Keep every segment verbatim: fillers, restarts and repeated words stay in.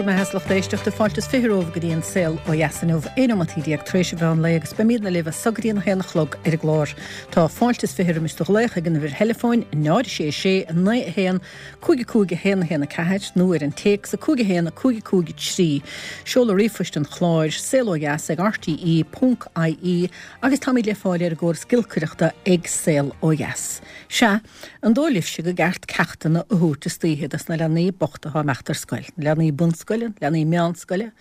Go raibh maith agat, lucht éisteachta fáilte is fiche romhaibh go dtí an saol ó dheas inniu aon nóimeat déag tar éis an mheán lae agus beimidne libh as so go dtí an haon a chlog ar an gclár. Tá fáilte is fiche roimis do ghlaoch ag an uimhir theileafóin náid sé sé naoi a haon cúig cúig a haon a haon a ceathair nó ar an téacs a cúig a haon a cúig cúig trí. Seoladh ríomhphoist an chláir saol ó dheas ag RTE ponc IE agus táimid le fáil ar an gcóras giolcaireachta ag saol ó dheas. Sea, an dóigh libhse gur ceart ceachtanna a thabhairt istoíche dos na leanaí bochta atá ag imeacht ar scoil, leanaí bunscoile, leanaí meánscoile,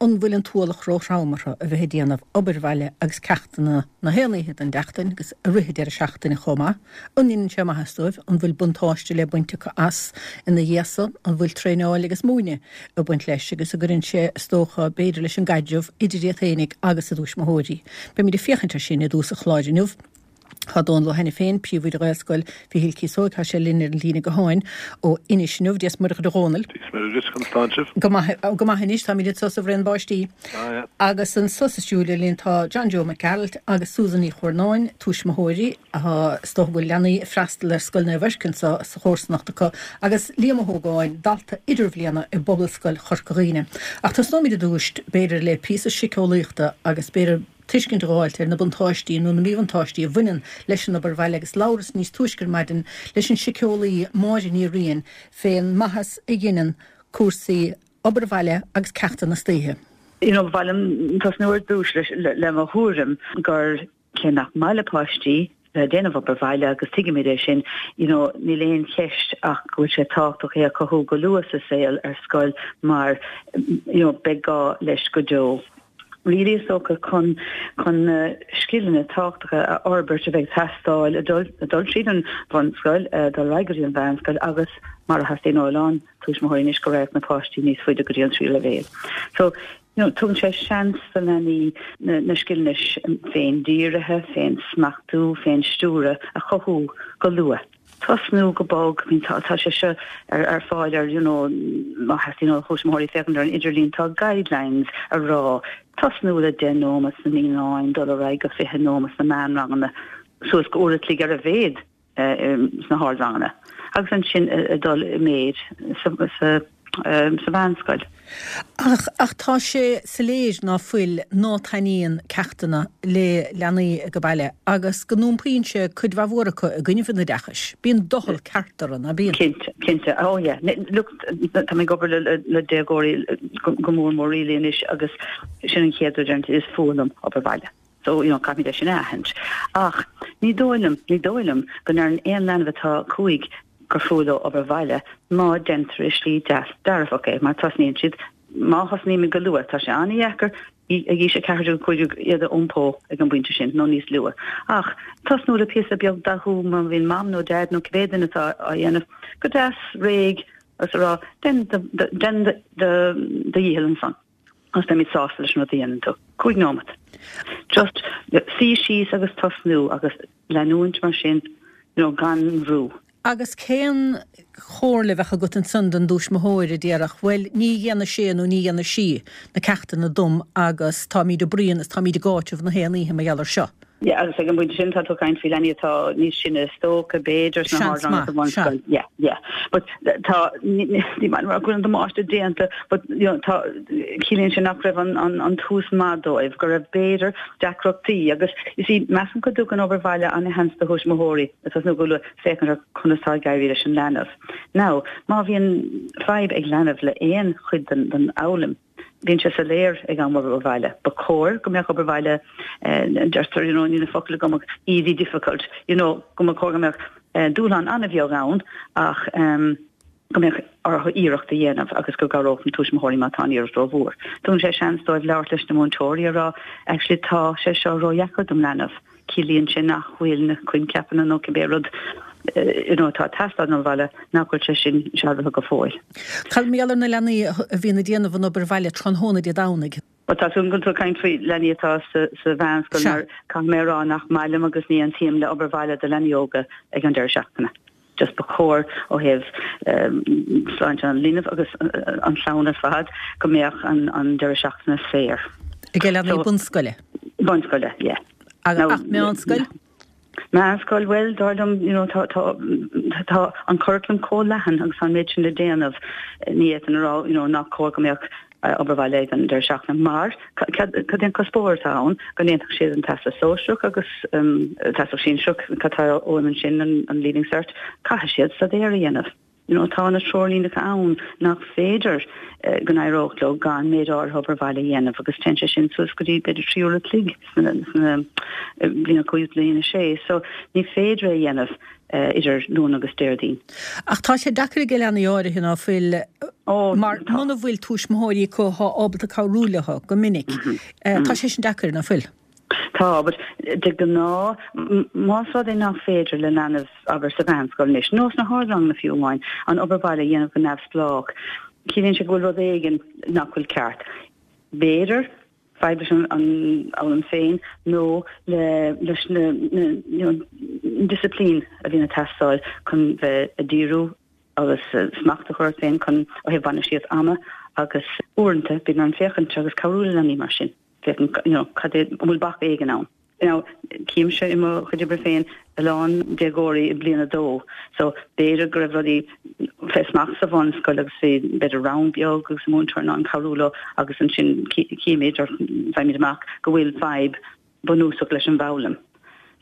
an bhfuil an t-ualach róthrom orthu a bheith ag déanamh obair bhaile agus ceachtanna na haon oíche den tseachtain agus i rith an deireadh seachtaine chomh maith, an ndéanann sé maitheas dóibh, an bhfuil buntáiste le baint acu as ina dhiaidh san, an bhfuil traenáil agus múineadh ag baint leis agus an gcuireann sé is dócha b'fhéidir leis an gcaidreamh idir iad féinig agus a dtuismitheoirí. Beimid ag féachaint ar sin i dtús an chláir inniu. Tá Dónal Ó hAiniféin, príomhoide Ghaelscoil Mhichíl Cíosóig, tá sé linn ar an líne gutháin ó Inis inniu. Dia is Muire dhuit a Dhónaill. Dia is Muire dhuit, conas tánn sibh? Go maith, go maith anois, táimid anseo sa bhraon báistí. Ah, yeah. Agus anso sa stiúideo linn tá John Joe Mac Gearailt agus Susan Ní Chuarnáin, tuismitheoirí, atá is dócha go bhfuil leanaí ag freastal ar Scoil Naomh Eirc anseo sa chomharsanacht acu, agus Liam Ó hÓgáin, dalta idirbhliana i bPobalscoil Chorca Dhuibhne. Ach tosnóimid i dtús, b'fhéidir, le píosa síceolaíochta agus b'fhéidir tuiscint a dh'fháilt ar na buntáistí nó na míbhuntáistí a bhaineann leis an obair bhaile agus labhras níos túisce ar maidin leis an síceolaí Máire Ní Riain fén maitheas a dheineann cúrsaí obair bhaile agus ceachtanna istoíche. You know, ba mhaith liom tosnú ar dtús leis le mo thuairim gur cé nach maith le páistí bheith ag déanamh obair bhaile agus tuigimid é sin, you know, níl aon cheist ach go bhfuil sé tábhachtach é a chothú go luath sa saol ar scoil mar you know, beidh gá leis go deo. Really is dócha chun chun na scileanna tábhachtacha a fhorbairt a bheidh ag teastáil ag dul ag dul tríd an bhunscoil, dul ar aghaidh go dtí an mheánscoil agus mar a theastaíonn ó a lán tuismitheoirí anois go raghadh na páistí níos faide go dtí an tríú leibhéal. So, you know, tugann sé seans do leanaí na, na scileanna féin-dírithe, féin-smachtú, féin-stiúradh a chothú go luath. Tosnú go bog, I mean tá tá sé seo ar ar fáil ar you know má theastaíonn ó thuismitheoirí féachaint ar an idirlíon tá guidelines a rá tosnú le deich nóiméad sna naíonáin, dul ar aghaidh go fiche nóiméad sna meánranganna, suas go uair a chloig ar a mhéad sna hardranganna agus ansin ag dul i méid sa sa sa mheánscoil. Ach, ach tá sé soiléir ná fuil, ná taitníonn ceachtanna le leanaí ag baile agus go n-iompaíonn sé cuid mhaith mhór acu i gcoinnibh an oideachais. Bíonn doicheall ceart orthu, ná bíonn? Cinnte, cinnte. Oh yeah. Look, tá mé ag obair le, le déagóirí go mór mór really anois agus sin an chéad rud a deireann is fuath liom obair bhaile. So, you know, caithfimid é sin a aithint. Ach ní dóigh liom, ní dóigh liom go ndeireann aon leanbh atá cúig gur fuath leo obair bhaile má deintear i slí deas dearfach é mar tosnaíonn siad, má thosnaímid go luath, tá sé an-dheacair ag aois a ceathair déag, cúig déag iad a iompó ag an bpointe sin nó níos luath. Ach tosnú le píosa beag dathú má bhíonn mam nó dad nó cibé duine atá á dhéanamh go deas réidh agus a rá dein dein do dhícheall ansan agus beimid sásta leis an rud a dhéanann tú. Cúig nóimeat. Just suí síos agus tosnú agus leanúint mar sin you know gan bhrú. Agus cén chomhairle a bheadh agat ansan don dtuismitheoir a déarfadh, bhuel, ní dhéanfaidh sé nó ní dhéanfaidh sí na ceachtanna dom agus táimid ag bruíon is táimid ag áiteamh na haon oíche mar gheall air seo? Yeah, agus ag an bpointe sin tá tú ag caint faoi leanaí atá níos sine is dócha, b'fhéidir, sna Seans hardranganna maith, sa sea. bhunscoil. Yeah, yeah. But tá, ní maith liom a rá go bhfuil an damáiste déanta, but you know, tá, ciallaíonn sé nach raibh an, an, an tús maith dóibh, go raibh b'fhéidir deacrachtaí agus, you see, measaim go dtugann obair bhaile an-sheans do thuismitheoirí ag tosnú go luath féachaint ar conas tá ag éirí leis an leanbh. Now, má bhíonn fadhb ag leanbh le aon chuid den, den fhoghlaim, bíonn sé soiléir ag am obair bhaile. Ba chóir go mbeadh obair bhaile, deirtear, you know, níl na focail agam ach easy difficult, you know, go mba chóir go mbeadh dúshlán an-bheag ann ach go mbeadh orthu iarracht a dhéanamh agus go gcabhródh na tuismitheoirí má tá an iarracht rómhór. Tugann sé seans dóibh labhairt leis na múinteoirí a rá, actually tá sé seo ródheacair dom leanbh. Ciallaíonn sé nach bhfuil na coincheapanna nó cibé rud you know atá ag teastáil ón bhaile, nach bhfuil sé sin sealbhaithe go fóill. Cad mar gheall ar na leanaí a bhíonn ag déanamh an obair bhaile tráthnóna Dé Domhnaigh? Bhuel, tá súil agam go bhfuil tú ag caint faoi leanaí atá sa sa mheánscoil Sea. mar caithfidh mé a rá nach maith liom agus ní aontaím le obair bhaile do leanaí óga ag an deireadh seachtaine. Just ba chóir ó thaobh sláinte an linbh agus an chlann ar fad go mbeadh an an deireadh seachtaine saor. Ag leanaí bunscoile? Bunscoile, yeah. Ach meánscoil? Meánscoil, bhuel, dar liom, you know, tá, tá, tá an curriculum chomh leathan agus an méid sin le déanamh, ní fhéadfainn a rá, you know, nach cóir go mbeadh obair bhaile ag an deireadh seachtaine mar cad é an cuspóir atá ann, go ndéanfadh siad an Teastas Sóisearach agus Teastas Sinsearach, cad tá uaim ansin, an Leaving Cert, caithfidh siad staidéar a dhéanamh. You know, tá na treoirlíneacha ann nach féidir go n-éireodh leo gan méid áirithe obair bhaile a dhéanamh agus téann sé sin suas go dtí b'fhéidir trí uair a chloig sna bliain a cúig bliain a sé. So ní féidir é a dhéanamh idir Luan agus Déardaoin. Ach tá sé deacair ag leanaí áirithe ná fuil mar muna bhfuil tuismitheoirí acu atá ábalta cabhrú leo go minic. Tá sé sin deacair ná fuil? Tá, but de ghnáth, más rud é nach féidir le leanbh, abair sa mheánscoil anois, nó sna hardranganna fiú amháin, an obair bhaile a dhéanamh go neamhspleách, ciallaíonn sé go bhfuil rud éigin nach bhfuil ceart. B'fhéidir fadhb leis an fhoghlaim féin nó le leis na you know, disciplín a bhíonn ag teastáil chun bheith ag díriú agus smacht a chur ort féin chun ó thaobh bainistíocht ama agus uaireanta bíonn orm féachaint agus cabhrú le leanaí mar sin. Féachaint, you know, cad é, an bhfuil bac éigin ann. Now, címse i mo chuid oibre féin a lán déagóirí i bliain a dó, so b'fhéidir go raibh rudaí fé smacht sa bhunscoil agus bhí b'fhéidir rang beag agus múinteoir in ann cabhrú leo agus ansin címid or faighimid amach go bhfuil fadhb bunúsach leis an bhfoghlaim.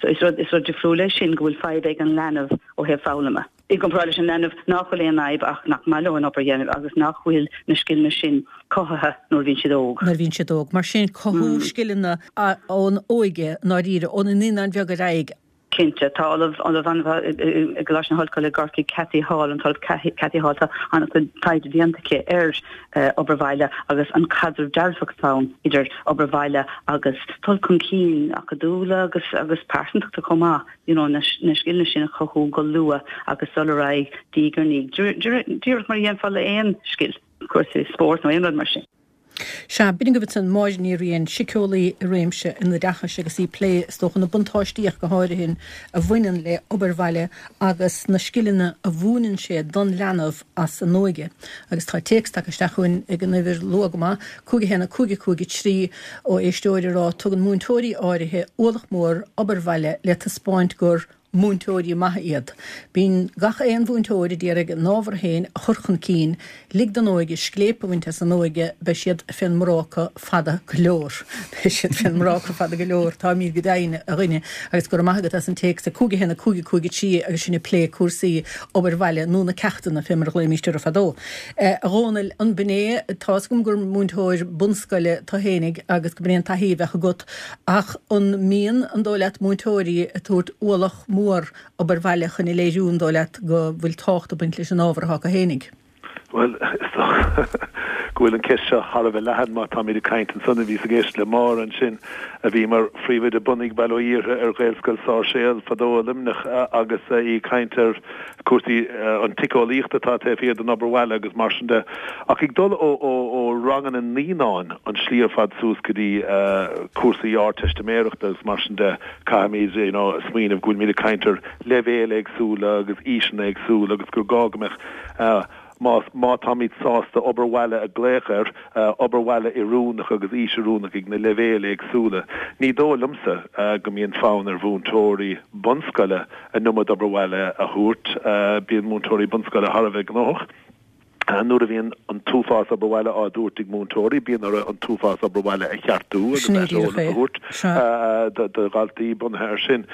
So is rud, is rud difriúil é sin go bhfuil fadhb ag an leanbh ó thaobh foghlama. I gcomparáid leis an leanbh nach bhfuil aon fhadhb ach nach maith leo an obair a dhéanamh agus nach bhfuil na scileanna sin cothaithe nuair a bhíonn siad óg. Nuair a bhíonn siad óg. Mar sin, cothú scileanna ón óige, i ndáiríre, ó na naíonáin bheaga ar aghaidh. Cinnte. Tá ollamh, ollamh an-mhaith i gColáiste na hOllscoile i gCorcaigh, Cathy Hall, an tOllamh Cathy Hall, tá an-chuid taighde déanta aici ar obair bhaile agus an caidreamh dearfach atá ann idir obair bhaile agus dul chun cinn acadúla agus agus pearsantachta chomh maith, you know, na scileanna sin a chothú go luath agus dul ar aghaidh diaidh ar ndiaidh, díreach mar a dhéanfá le aon scil, cúrsaí spóirt nó aon rud mar sin. Sea, b'in agaibh ansan Máire Ní Riain, síceolaí i réimse an oideachais agus í ag plé, is dócha, na buntáistí ach go háirithe a bhaineann le obair bhaile agus na scileanna a mhúineann sé don leanbh as an óige. Agus tá téacs tagtha isteach chugainn ag an uimhir luath go maith, cúig a haon a cúig a cúig a trí, ó éisteoir ag rá, Tugann múinteoirí áirithe ualach mór obair bhaile le taispeáint gur múinteoirí maithe iad. Bíonn gach aon mhúinteoir a d'iarraidh a n-ábhar féin a chur chun cinn. Lig don óige scléip a bhaint as an óige, beidh siad fén mbráca fada go leor. Beidh siad fén mbráca fada go leor, táimid go deimhin, a dhuine. Agus go raibh maith agat as an téacs, a cúig a haon a cúig a cúig a trí agus sinn ag plé cúrsaí obair bhaile nó na ceachtanna fé mar a ghlaoimíst orthu fadó. A Dhónaill, an b'in é, tá's agam gur múinteoir bunscoile tu fhéinig agus go b'in é an taithí a bheadh agat ach an mbíonn, an dóigh leat, múinteoirí ag tabhairt ualach mór obair bhaile chun a léiriú, an dóigh leat, go bhfuil tábhacht ag baint leis an ábhar atá acu fhéinig? Bhuel, is dócha go bhfuil an cheist seo thar a bheith leathan má táimid ag caint ansan. Bhíos ag éisteacht le Máire ansin, a bhí mar phríomhoide bunaidh, bail ó Dhia uirthi, ar Ghaelscoil Sáirséal fadó i Luimneach agus í ag caint ar chúrsaí an tsíceolaíocht atá taobh thiar den obair bhaile agus mar sin de. Ach ag dul ó ó ranganna naíonáin an tslí ar fad suas go dtí cúrsaí Ardteistiméireachta agus mar sin de, caithfimid you know smaoineamh go bhfuilimid ag caint ar leibhéil éagsúla agus aoiseanna éagsúla agus gur gá go mbeadh más má táimid sásta obair bhaile a ghlaoch air, obair bhaile oiriúnach agus aois oiriúnach ag na leibhéil éagsúla. Ní dóigh liomsa go mbíonn fonn ar mhúinteoirí bunscoile an iomad obair bhaile a thabhairt. Bíonn múinteoirí bunscoile thar a bheith gnóthach. Nuair a bhíonn an t-uafás obair bhaile á dtabhairt ag múinteoirí, bíonn orthu an t-uafás obair bhaile a cheartú agus aiseolas a thabhairt do dhaltaí bunaithe air sin.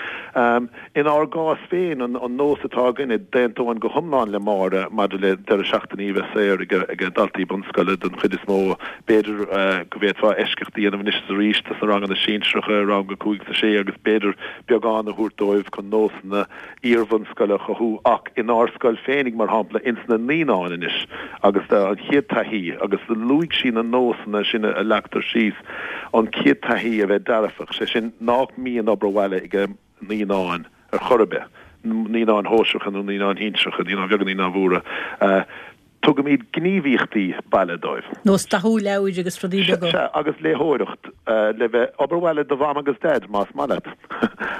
Inár gcás féin, an nós atá againne, d'aontóinn go hiomlán le Máire maidir le deireadh seachtainí a bheith saor ag daltaí bunscoile den chuid is mó. B'fhéidir go bhféadfá eisceacht a dhéanamh anois is arís dos na ranganna sinsearacha, rang a cúig is a sé, agus b'fhéidir beagán a thabhairt dóibh chun nósanna iar-bhunscoile a chothú ach inár scoil féinig, mar shampla, ins na naíonáin anois agus an chéad taithí, agus luaigh sí na nósanna sin a leagtar síos, an chéad taithí a bheith dearfach, sé sin nach mbíonn obair bhaile ag naíonáin ar chor ar bith, naíonáin shóisearacha nó naíonáin shinsearacha, naíonáin bheaga, naíonáin mhóra. Tugaimid gníomhaíochtaí baile dóibh. Nós dathú leabhair agus rudaí beaga. Sea, agus léitheoireacht le bheith, obair bhaile do Mham agus Daid, más maith leat.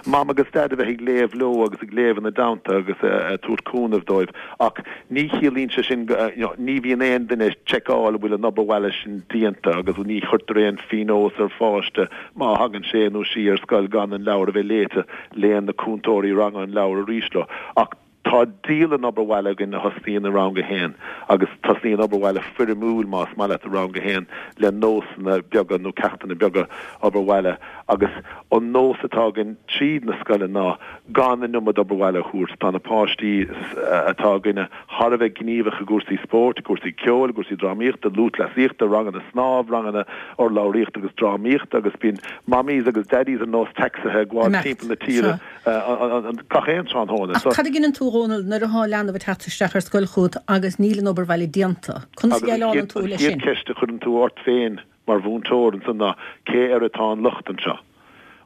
Mam agus Daid a bheith ag léamh leo agus ag léamh ina dteannta agus ag tabhairt cúnamh dóibh. Ach ní chiallaíonn sé sin go, you know, ní bhíonn aon duine ag seiceáil an bhfuil an obair bhaile sin déanta agus ní chuirtear aon phionós ar pháiste má thagann sé nó sí ar scoil gan an leabhar a bheith léite, léann na cúntóirí ranga an leabhar arís leo. Ach tá dialann obair bhaile againn a thosnaíonn i rang a haon agus tosnaíonn obair bhaile foirmiúil, más maith leat, i rang a haon le nósanna beaga nó ceachtanna beaga obair bhaile agus an nós atá againn tríd na scoile ná gan an iomad obair bhaile a thabhairt. Tá na páistí atá againne thar a bheith gníomhach i gcúrsaí spóirt, i gcúrsaí ceoil, i gcúrsaí drámaíochta, lúthchleasaíochta, ranganna snámh, ranganna urlabhraíochta agus drámaíochta agus bíonn mammies agus daddies ar nós tacsaithe ag gabháil timpeall na tíre gach aon tráthnóna. Ach cad a dhéanann tú, a Dhónaill, nuair atá leanbh ag teacht isteach ar scoil chugat agus níl an obair bhaile déanta? Conas a dhéileálann tú leis sin? Agus an chéad cheist a chuireann tú ort féin mar mhúinteoir ansan ná, cé air atá an locht anseo?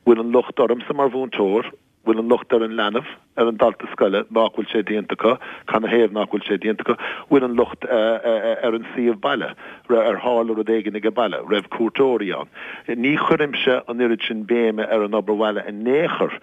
Bhfuil an locht ormsa mar mhúinteoir? Bhfuil an locht ar an leanbh, ar an dalta scoile, nach bhfuil sé déanta acu? Canathaobh nach bhfuil sé déanta acu? Bhfuil an locht ar an suíomh baile? Ar tharla rud éigin age baile? Raibh cuairteoirí ann? Ní chuirimse an oiread sin béime ar an obair bhaile in aon chor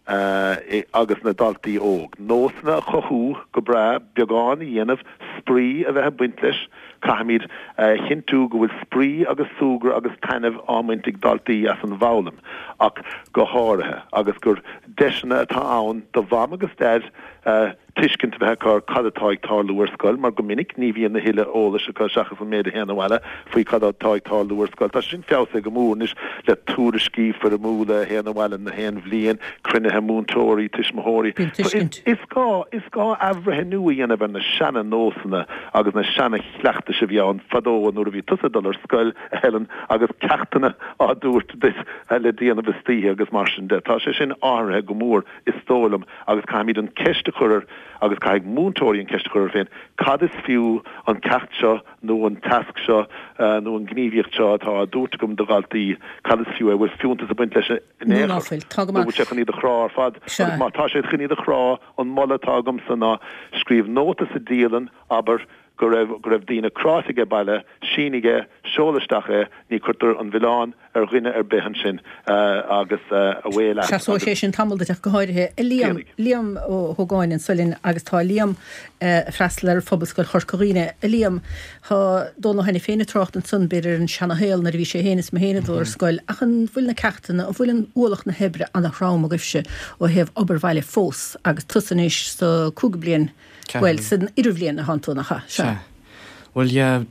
agus na daltaí óg. Nósanna a chothú go breá, beagán a dhéanamh, spraoi a bheith ag baint leis. Caithfimid a chinntiú go bhfuil spraoi agus súgradh agus taitneamh á mbaint ag daltaí as an bhfoghlaim ach go háirithe agus gur deiseanna atá ann do mham agus daid tuiscint a bheith acu ar cad atá ag tarlú ar scoil, mar go minic ní bhíonn a thuilleadh eolais acu seachas an méid a théann abhaile faoi cad atá ag tarlú ar scoil. Tá sé sin feabhsaithe go mór anois le tuairiscí foirmiúla a théann abhaile na haon bhliain, cruinnithe múinteoirí, tuismitheoirí. Bíonn tuiscint. Is gá, is gá athbhreithniú a dhéanamh ar na seana-nósanna agus na seana-chleachtais a bhí ann fadó nuair a bhí tusa ag dul ar scoil, a Helen, agus ceachtanna á dtabhairt duit le déanamh istoíche agus mar sin de. Tá sé sin athraithe go mór, is dóigh liom, agus caithfimid an ceist a chur ar, agus caithfidh múinteoirí an ceist a chur orthu féin, cad is fiú an ceacht seo nó an tasc seo nó an ghníomhaíocht seo atá á dtabhairt agam do dhaltaí, cad is fiú é, bhfuil fiúntas ag baint leis in Nó aon ná chor, fuil. Tá go nó maith. bhfuil sé chun iad a chrá ar fad? Sea. Agus má tá sé chun iad a chrá, an moladh atá agamsa ná scríobh nóta sa dialann, abair, go raibh go raibh daoine cráite age baile, sínigh é, seol isteach é, ní cuirtear an milleán ar dhuine ar bith ansin agus away leat Seasóidh agus sé sin tamall duit ach go háirithe. Liam, déanfaidh. Liam Ó hÓgáin anso linn agus tá Liam ag freastal ar Phobalscoil Chorca Dhuibhne. A Liam, tá Dónal Ó hAiniféin ag trácht ansan b'fhéidir ar an seana-shaol nuair a bhí sé féin is mé féin ag dul ar scoil ach an bhfuil na ceachtanna, an bhfuil an ualach na hoibre ana-throm agaibhse ó thaobh obair bhaile fós agus tusa anois sa cúigiú bliain Bhuel, san idirbhliain atánn tú, nach ea? Sea. Sea. Bhuel, yeah,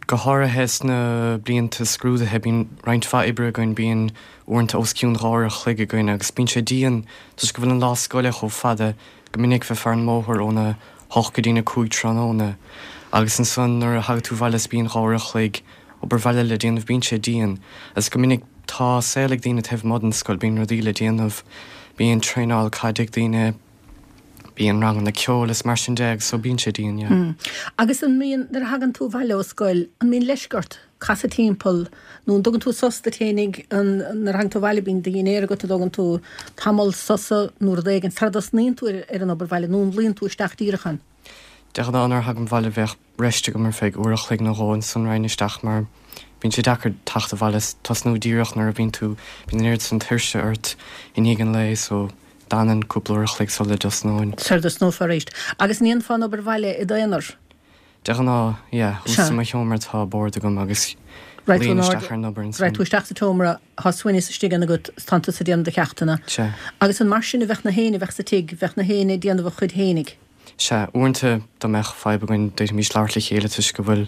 go háirithe sna blianta scrúdaithe, bíonn roinnt mhaith oibre againn, bíonn uaireanta os cionn dhá uair a chloig againn agus bíonn sé dian toisc go bhfuil an lá scoile chomh fada, go minic bheifeá ar an mbóthar óna hocht go dtína cúig tráthnóna agus ansan nuair a thagann tú abhaile is bíonn dhá uair a chloig obair bhaile le déanamh, bíonn sé dian agus go minic tá saol ag daoine taobh amuigh den scoil, bíonn rudaí le déanamh, bíonn traenáil caide ag daoine, Bíonn ranganna ceoil is mar sin de agus so bíonn sé dian, yeah. Agus an mbíonn, nuair a thagann tú abhaile ó scoil, an mbíonn leisce ort casadh timpeall nó an dtugann tú sos duit fhéinig, an, nuair a thagann tú abhaile bíonn do dhinnéar agat, an dtógann tú tamall sosa nó rud éigin sara dtosnaíonn tú ar, ar an obair bhaile nó an luíonn tú isteach díreach ann? De ghnáth nuair a thagaim abhaile bheadh rest agam ar feadh uair a chloig nó dhó ansan raghainn isteach mar bíonn sé deacair teacht abhaile is tosnú díreach nuair a bhíonn tú, bíonn an oiread sin tuirse ort i ndiaidh an lae so D'fhanfainn cúpla uair a chloig sula dtosnóinn. Sara dtosnófá arís. Agus an ndéanfá an obair bhaile i d'aonar? De ghnáth, yeah. Thuas Sea. i mo sheomra tá bord agam agus Raghaidh tú luím in isteach airde, ar an obair raghaidh ansan. tú isteach sa tseomra, tá soineas istigh ann agat, is tánn tusa ag déanamh do cheachtanna. Sea. Agus an mar sin a bheadh na héinne a bheadh sa tigh, bheadh na héinne ag déanamh a chuid fhéinig? Sea. Uaireanta dá mbeadh fadhb againn d'fhéadfaimis labhairt le chéile toisc go bhfuil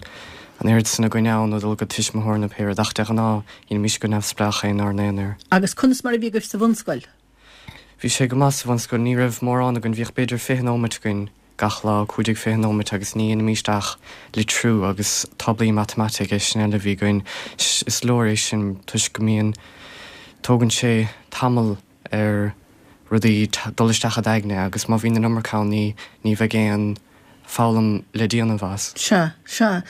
an oiread san againn ann nó dul go tuismitheoir nó pé rud ach de ghnáth dhéanaimis go neamhspleách é inár n-aonar. Agus conas mar a bhí agaibh sa bhunscoil? Bhí sé go maith sa bhunscoil, ní raibh mórán againn, bhíodh b'fhéidir fiche nóimeat againn gach lá, cúig déag fiche nóimeat agus ní dhéanaimis ach litriú agus táblaí matamaitice, sin uile a bhí againn. Is leor é sin toisc go mbíonn, tógann sé tamall ar rudaí dul isteach i d'aigne agus má bhíonn an iomarca ann ní, ní bheidh aon foghlaim le déanamh as. Sea, sea.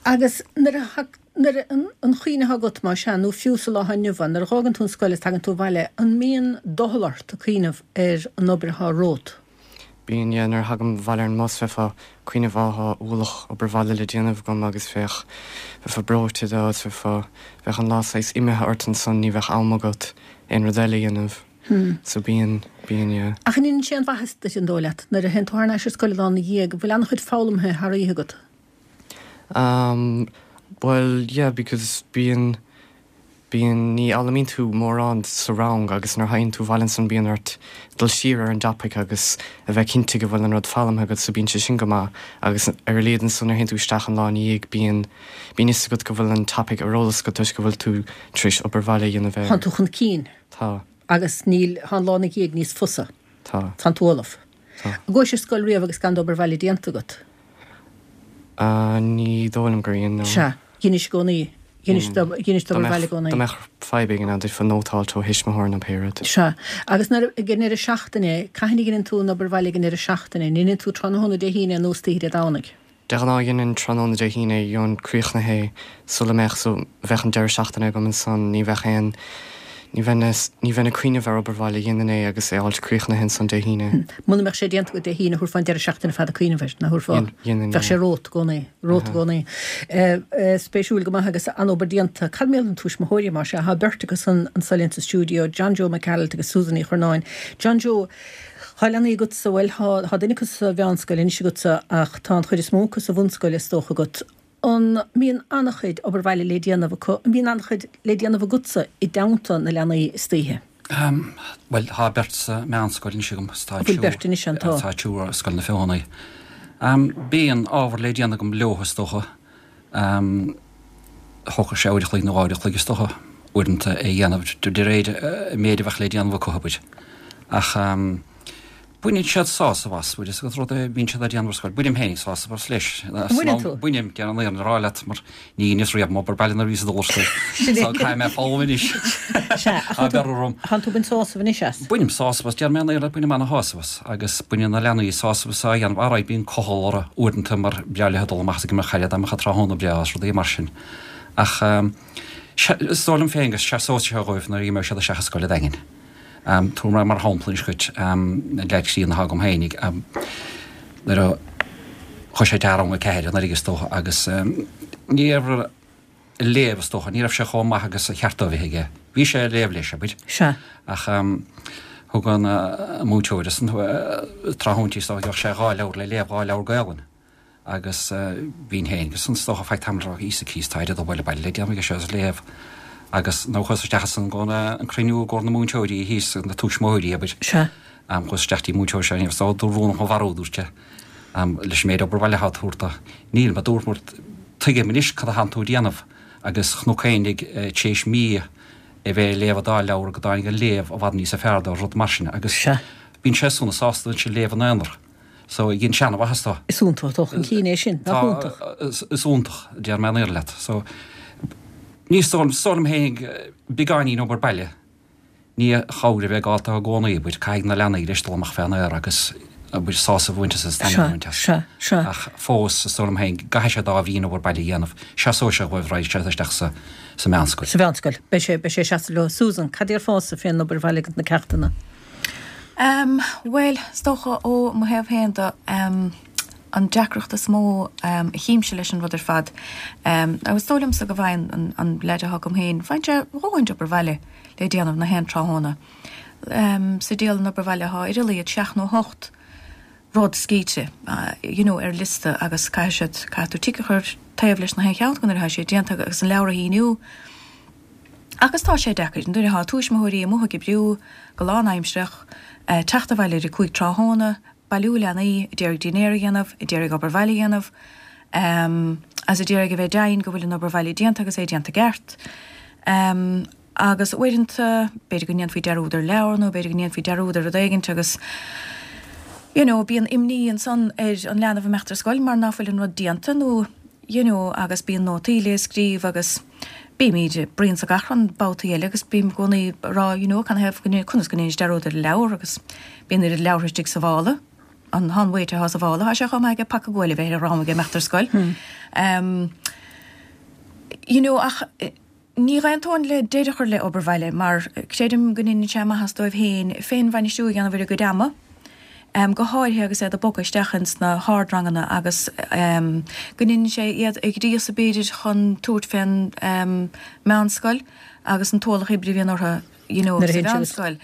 Agus nuair a, nuair a, an chuimhne atá agat, más ea, nó fiú sa lá atá inniu ann, nuair a dh'fhágann tú an scoil is tagann tú abhaile, an mbíonn doicheall ort ag cuimhneamh ar an obair atá romhat? Bíonn, yeah, nuair a thagaim abhaile ar an mbus bheifeá ag cuimhneamh á tá ualach obair bhaile le déanamh agam agus bheadh, bheifeá breoite de agus bheifeá, bheadh an lá saghas imithe ort ansan, ní bheadh am agat aon rud eile a dhéanamh. So bíonn, bíonn, yeah. Ach an ndéanann sé an mhaitheas duit an dóigh leat, nuair a théann tú thar n-ais ar scoil an lá ina dhiaidh, go bhfuil an-chuid foghlamtha thar oíche agat? Um, bhuel, yeah, because bíonn, bíonn, ní fhoghlaimíonn tú mórán sa rang agus nuair a théann tú abhaile ansan bíonn ort dul siar ar an dtopaic agus a bheith cinnte go bhfuil an rud foghlamtha agat so bíonn sé sin go maith agus ar a laghad ansan nuair a théann tú isteach an lá ina dhiaidh bíonn, bíonn fhios agat go bhfuil an topaic ar eolas agat toisc go bhfuil tú tar éis obair bhaile a dhéanamh air. Tánn tú chun cinn. Tá. Agus níl, tá an lá ina dhiaidh níos fusa. Tá. Tánn tú ullamh. Tá. An gcuais ar scoil riamh agus gan d'obair bhaile déanta agat? Ní dóigh liom gur dhein, no. Sea, dheinis i gcónaí. Dheinis dheinis d'obair bhaile i gcónaí. Dá mbeadh fadhb éigin ann, d'fhéadfá nóta a fháilt ó thuismitheoir nó pé rud. Sea, agus nuair, ag an ndeireadh seachtaine, cathain a dheineann tú an obair bhaile ag an ndeireadh seachtaine? An ndeineann tú tráthnóna Dé hAoine nó istoíche Dé Domhnaigh? De ghnáth dhéanainn tráthnóna Dé hAoine, gheobhainn críochnaithe é sula mbeadh, so bheadh an deireadh seachtaine agam ansan, ní bheadh aon, ní bheinn, ní bheinn ag cuimhneamh ar obair bhaile, dhéanainn é agus é a fháilt críochnaithe ansan Dé Haoine. Muna mbeadh sé déanta agat Dé hAoine, thabharfá an deireadh seachtaine fada cuimhneamh air, nach thabharfá? Dhéanainn, Bheadh sé romhat i gcónaí, romhat i gcónaí. Spéisiúil go maith agus an-obair déanta. Cad mar gheall ar na tuismitheoirí, mar sea, tá beirt acu san anso linn sa stiúideo, John Joe Mac Gearailt agus Susan Ní Churnáin. John Joe, Tá leanaí agatsa, bhuel, tá, tá duine acu sa mheánscoil anois agatsa ach tá an chuid is mó acu sa bhunscoil is dócha agat. An mbíonn an-chuid obair bhaile le déanamh acu? An mbíonn an-chuid le déanamh agatsa i dteannta na leanaí istoíche? Bhuel, tá beirt sa meánscoil anois agam is tá Bhfuil beirt anois ann? Tá. Tá triúr ar Scoil na Feothanaí. Bíonn ábhar le déanamh agam leo is dócha. Thógfadh sé uair a chloig nó dhá uair a chloig is dócha uaireanta é a dhéanamh de réir an méid a bheadh le déanamh acu, abair. Ach. Baineann siad sásamh as, bhfuil fhios agat rud a bhíonn siad á déanamh ar scoil. Bainim féinig sásamh as leis. Baineann tú? Bainim, déan an fhírinne a rá leat, mar ní dheineas riamh m'obair baile nuair a bhíos ag dul ar scoil. Sin é. So caithfidh mé foghlaim anois. Sea, ach Tá bearradh orm. Tánn tú ag baint sásamh anois as? Bainim sásamh as, déarfaidh mé an fhírinne leat, bainim ana-shásamh as. Agus baineann na leanaí sásamh as á dhéanamh. Alright, bíonn cochall orthu uaireanta mar breá leo dul amach is ag imirt chaide dá mbeadh an tráthnóna breá is rudaí mar sin. Ach, is dóigh liom féin go seasóidh sé dhóibh nuair a imeoidh siad isteach i scoil an Daingin. Tabharfaidh mé mar shampla anois dhuit an leaid críonna atá agam féinig nuair a chuaigh sé isteach i rang a ceathair anuraidh is dócha agus ní raibh an léamh is dócha, ní raibh sé chomh maith agus a cheart dó a bheith aige. Bhí sé ag léamh leis, abair. Sea. Ach thug an múinteoir ansan tráthnóintí is dócha, gheobhadh sé dhá leabhar le léamh, dhá leabhar Gaelainn. Agus bhínn féin agus is dócha feadh tamaill ag rá Íosa Críost tá oiread obair baile le déanamh aige seo is léamh agus nuair a chuas isteach ansan go an cruinniú i gcomhair na múinteoirí thíos na tuismitheoirí abair. Sea. Chuas isteach dtí múinteoir seo is dócha dúirt rún mo mharú dúirt sé leis an méid obair bhaile atá á tabhairt dó. Níl a dúirt mar tuigim anois cad atánn tú a déanamh agus chonac féinig tar éis mí a bheith ag léamh an dá leabhar go dtáinig an léamh i bhfad níosa fearr dó rud mar sin agus Sea. bíonn sé sona sásta ansin léamh ina aonar. So, dhein sé an-mhaitheas dó. Is iontach dul chun cinn é sin, nach iontach? Tá, is iontach, déarfaidh mé an fhírinne leat. So, ní, is dóigh liom féin beagáinín obair baile, ní chóir a bheith ag gabháil dó i gcónaí, abair, caithfidh na leanaí leis dul amach fén aer agus, abair, sásamh a bhaint as agus taitneamh a bhaint as. Sea, sea, sea. Ach fós, is dóigh liom féin, go gcaithfidh siad ábhairín obair baile a dhéanamh, seasóidh sé dhóibh raghaidh siad isteach sa, sa mheánscoil. Sa mheánscoil. Beidh sé, beidh sé ag seasamh leo. Susan, cad déarfása fén obair bhaile agus na ceachtanna? Em, bhuel, is dócha ó mo thaobh féin de, em, an deacracht is mó, em, a chímse leis an rud ar fad, em, agus is dóigh liomsa go bhfaigheann an, an leaid atá agam féin, faigheann sé a dhóthain d'obair bhaile le déanamh na haon tráthnóna. Em, sa dialann obair bhaile atá ar a laghad seacht nó hocht rud scríte, you know, ar liosta agus caithfidh siad, caithfidh tú tic a chur taobh leis na haon cheann acu nuair atá sé déanta agus an leabhar a shíniú. Agus tá sé deacair, nuair atá tuismitheoirí amuigh ag oibriú go lánaimsearach, teacht abhaile ar a cúig tráthnóna, bailiú leanaí, a d'iarraidh dinnéar a dhéanamh, a d'iarraidh obair bhaile a dhéanamh, agus a d'iarraidh a bheith deimhin go bhfuil an obair bhaile déanta agus é déanta i gceart. Agus uaireanta, b'fhéidir go ndéanfaí dearúd ar leabhar nó b'fhéidir go ndéanfaí dearúd ar rud éigint agus you know bíonn imní ansan ar an leanbh imeacht ar scoil mar ná fuil an rud déanta nó you know agus bíonn nótaí le scríobh agus bímid ag bruíon 's ag achrann babhtaí eile agus bím i gcónaí ag rá you know canathaobh go conas go ndéanais dearúd ar an leabhar agus bíonn oiread leabhartha istigh sa mhála an an mhéid atá sa mhála tá sé chomh maith aige paca guail a bheith ar a dhrom aige imeacht ar scoil um you know ach ní dh'aontóinn le deireadh a chur le obair bhaile mar creidim go ndeineann sé maitheas dóibh féin féinbhainistiú a dhéanamh ar a gcuid ama. Go háirithe agus iad ag bogadh isteach ins na hardranganna agus go ndéanann sé iad a ghríosadh b'fhéidir chun tabhairt fén meánscoil agus an t-ualach oibre a bhíonn orthu you know sa mheánscoil.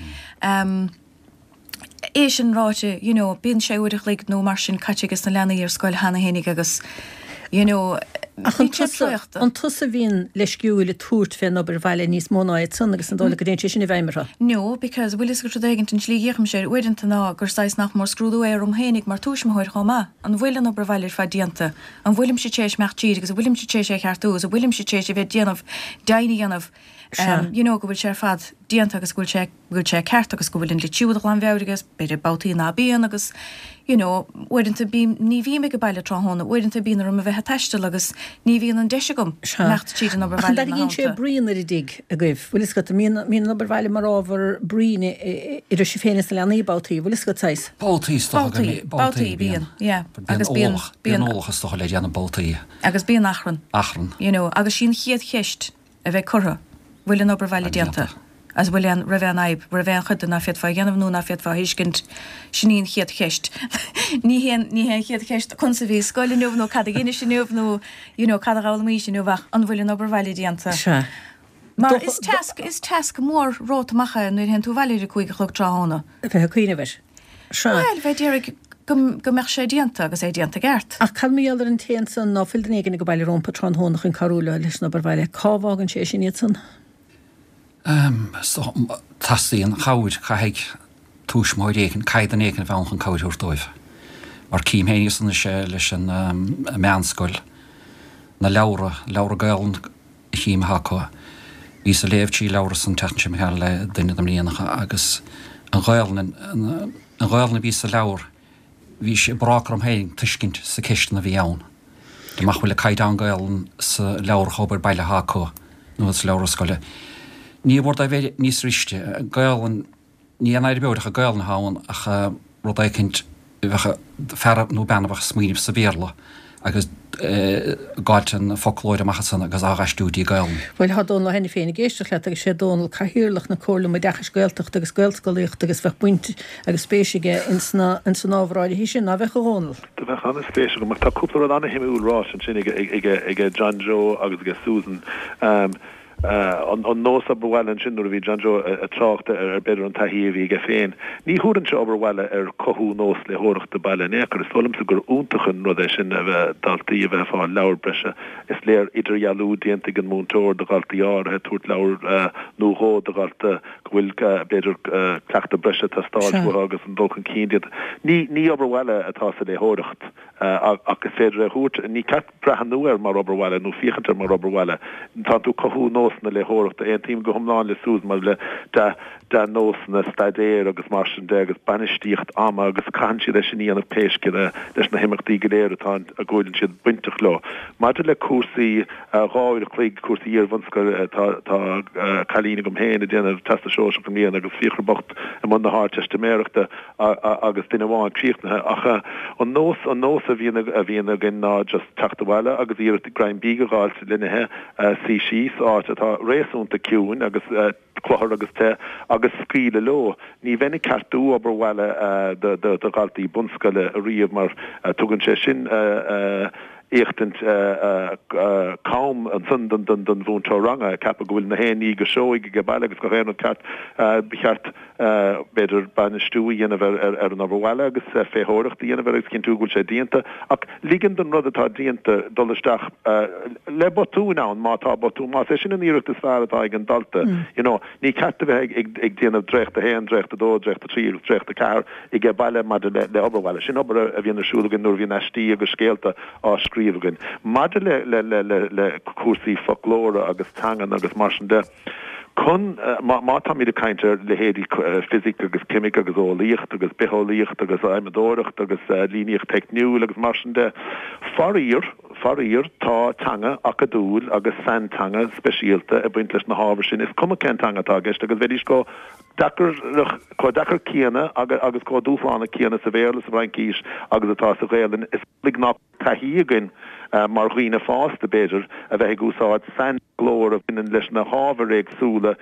É sin ráite, you know, bíonn sé uair a chloig nó mar sin caite ages na leanaí ar scoil cheana fhéinig agus, you know, Ach an tusa, an tusa a bhíonn leisciúil ag tabhairt fén obair bhaile níos mó ná iad san agus an dóigh leat go dtéann sé sin i bhfeidhm orthu? No, because bhfuil fhios agat rud éigint an tslí a d'fhéachaimse air uaireanta ná gur saghas nach mór scrúdú é orm fhéinig mar tuismitheoir chomh maith. An bhfuil an obair bhaile ar fad déanta? An bhfuilimse tar éis imeacht tríd agus an bhfuilimse tar éis é a cheartú agus an bhfuilimse tar éis a bheith ag déanamh deimhin a dhéanamh Sea. you know go bhfuil sé ar fad déanta agus go bhfuil sé go bhfuil sé ceart agus go bhfuil an litriú de ghlanmheabhair agus b'fhéidir babhtaí ná bíonn agus you know uaireanta bím ní bhím ag baile tráthnóna uaireanta bíonn orm a bheith ag taisteal agus ní bhíonn an deis agam Sea. imeacht tríd an obair Ach an bhaile ina dtarraingíonn sé theannta. bruíon ar an dtigh agaibh? Bhfuil fhios agat, an mbíonn mbíonn an obair bhaile mar ábhar bruíne idir sibh féin is na leanaí babhtaí, bhfuil fhios agat saghas? Babhtaí is dócha go Babhtaí, mbí- babhtaí babhtaí bíonn, bíonn. yeah. Bíonn Agus bíonn ualach, bíonn bíonn ualach is dócha le déanamh babhtaí. agus bíonn achrann. Achrann. You know, agus sí an chéad cheist a bheidh curtha, bhfuil an obair bhaile déanta? Agus bhfuil aon, raibh aon fhadhb, raibh aon chuid de ná féadfá a dhéanamh nó ná féadfá a thuiscint? Sin í an chéad cheist. Ní hé an, ní hé an chéad cheist conas a bhí scoil inniu nó cad a dheinis inniu nó you know cad a d'fhoghlaimís inniu ach an bhfuil an obair bhaile déanta? Sea. Mar is tasc, is tasc mór romhat amach é nuair a théann tú abhaile ar a cúig a chlog tráthnóna. A bheith ag cuimhneamh air. Sea. Bhuel, bheith ag iarraidh go, go mbeadh sé déanta agus é déanta i gceart. Ach cad mar gheall ar an té ansan ná fuil duine éigin ag baile rompu tráthnóna chun cabhrú leo leis an obair bhaile? Cá bhfágann sé sin iad san? So, teastaíonn cabhair, caithfidh tuismitheoir éigin, caithfidh duine éigin a bheith ann chun cabhair a thabhairt dóibh. Mar cím féin anois é leis an meánscoil, na leabhra, leabhra Gaelainne a chím atá acu. Bhíos ag léamh trí leabhra san tseachtain seo imigh thart le duine de m'iníonacha agus an Ghaelainn, an Ghaelainn a bhí sa leabhar, bhí sé brách orm féin tuiscint sa ceisteanna a bhí ann. Dá mbeadh bhfuil caighdeán Gaelainne sa leabhar obair baile atá acu nó sa leabhar scoile. Ní mhór dóibh bheith níos riste. Gaelainn, ní an fhadhb ach Gaelainn atá ann ach rud éicint bheadh fear nó bean a bheadh ag smaoineamh sa Bhéarla agus ag fáilt an foclóir amach ansan agus á aistriú dtí Gaelainn. Bhuel, tá Dónal Ó hAiniféin ag éisteacht leat agus sé Dónal Cathaoirleach na Comhairle um Oideachais Gaeltachta agus Gaelscolaíochta agus bheadh baint agus spéis aige ins na ins an ábhar áirithe sin, ná bheadh a Dhónaill? Do bheadh an-spéis agam mar tá cúpla rud an-shuimiúil ráite ansin ag ag ag John Joe agus ag Susan. Um, an nós obair bhaile ansin nuair a bhí John Joe ag trácht ar b'fhéidir an taithí a bhí aige féin. Ní thabharfainnse obair bhaile ar chothú nós léitheoireachta baile in aon chor. Is dóigh liomsa gur iontach an rud é sin a bheith daltaí a bheith ag fáil leabhar breise. Is léir idirdhealú déanta ag an múinteoir do dhaltaí áirithe, tabhairt leabhar nó dhó do dhalta go bhfuil b'fhéidir cleachtadh breise ag teastáil uathu agus an dul chun cinn déanta. Ní ní obair bhaile atá sa léitheoireacht. Ach is féidir é a thabhairt, ní ceart breathnú air mar obair bhaile nó féachaint air mar obair bhaile. Tá tú ag cothú nósanna léitheoireachta. Aontaím go hiomlán le Susan maidir le dea-nósanna staidéir agus mar sin de agus bainistíocht ama agus caitheann siad é sin a dhéanamh pé scéal é leis na himeachtaí go léir atá a bhfuileann siad bainteach leo. Maidir le cúrsaí dhá uair a chloig, cúrsaí iar-bhunscoile, tá tá cailín agam féin ag déanamh Teastas Sóisearach i mbliana agus Fiachra bocht i mbun na hArdteistiméireachta agus duine amháin críochnaithe. Ach an nós, an nós a bhíonn, a bhíonn againn ná just teacht abhaile agus iarracht greim bídh a dh'fháilt le n-ithe, suí síos, áit atá réasúnta ciúin agus cluthar agus te, agus scaoileadh leo. Ní bheinn ag ceartú obair bhaile do, do, do dhaltaí bunscoile ariamh mar tugann sé sin éachtaint cam ansan don, don, don mhúinteoir ranga, ag ceapadh go bhfuil na haon ní go seoigh ag baile agus gach aon rud ceart. Ba cheart b'fhéidir bainistiú a dhéanamh ar an obair bhaile agus féitheoireacht a dhéanamh air agus cinntiú go bhfuil sé déanta, ach ligean don rud atá déanta dul isteach le botúin ann má tá botún, más é sin an iarracht is fearr atá ag an dalta. You know, ní ceart a bheith ag déanamh dréacht a haon, dréacht a dó, dréacht a trí agus dréacht a ceathair ag baile maidir le obair bhaile. Sin obair a bhíonn ar siúl againn nuair a bhíonn aistí agus scéalta á scríobh againn. Maidir le cúrsaí foclóra agus teangan agus mar sin de, Chun, má táimid ag caint ar leithéidí fisic agus ceimic agus eolaíocht agus bitheolaíocht agus adhmadóireacht agus líníocht theicniúil agus mar sin de, faraor, faraor, tá teanga acadúil agus sainteanga speisialta ag baint leis na hábhair sin, is cuma cén teanga atá i gceist agus bheidís chomh deacair chomh deacair céanna agus chomh dúshlánach céanna sa Bhéarla, sa bhFraincís agus atá sa Ghaelainn. Is amhlaidh nach taithí againn mar dhaoine fásta, b'fhéidir, a bheith ag úsáid sainfhoclóir a bhaineann leis na hábhair éagsúla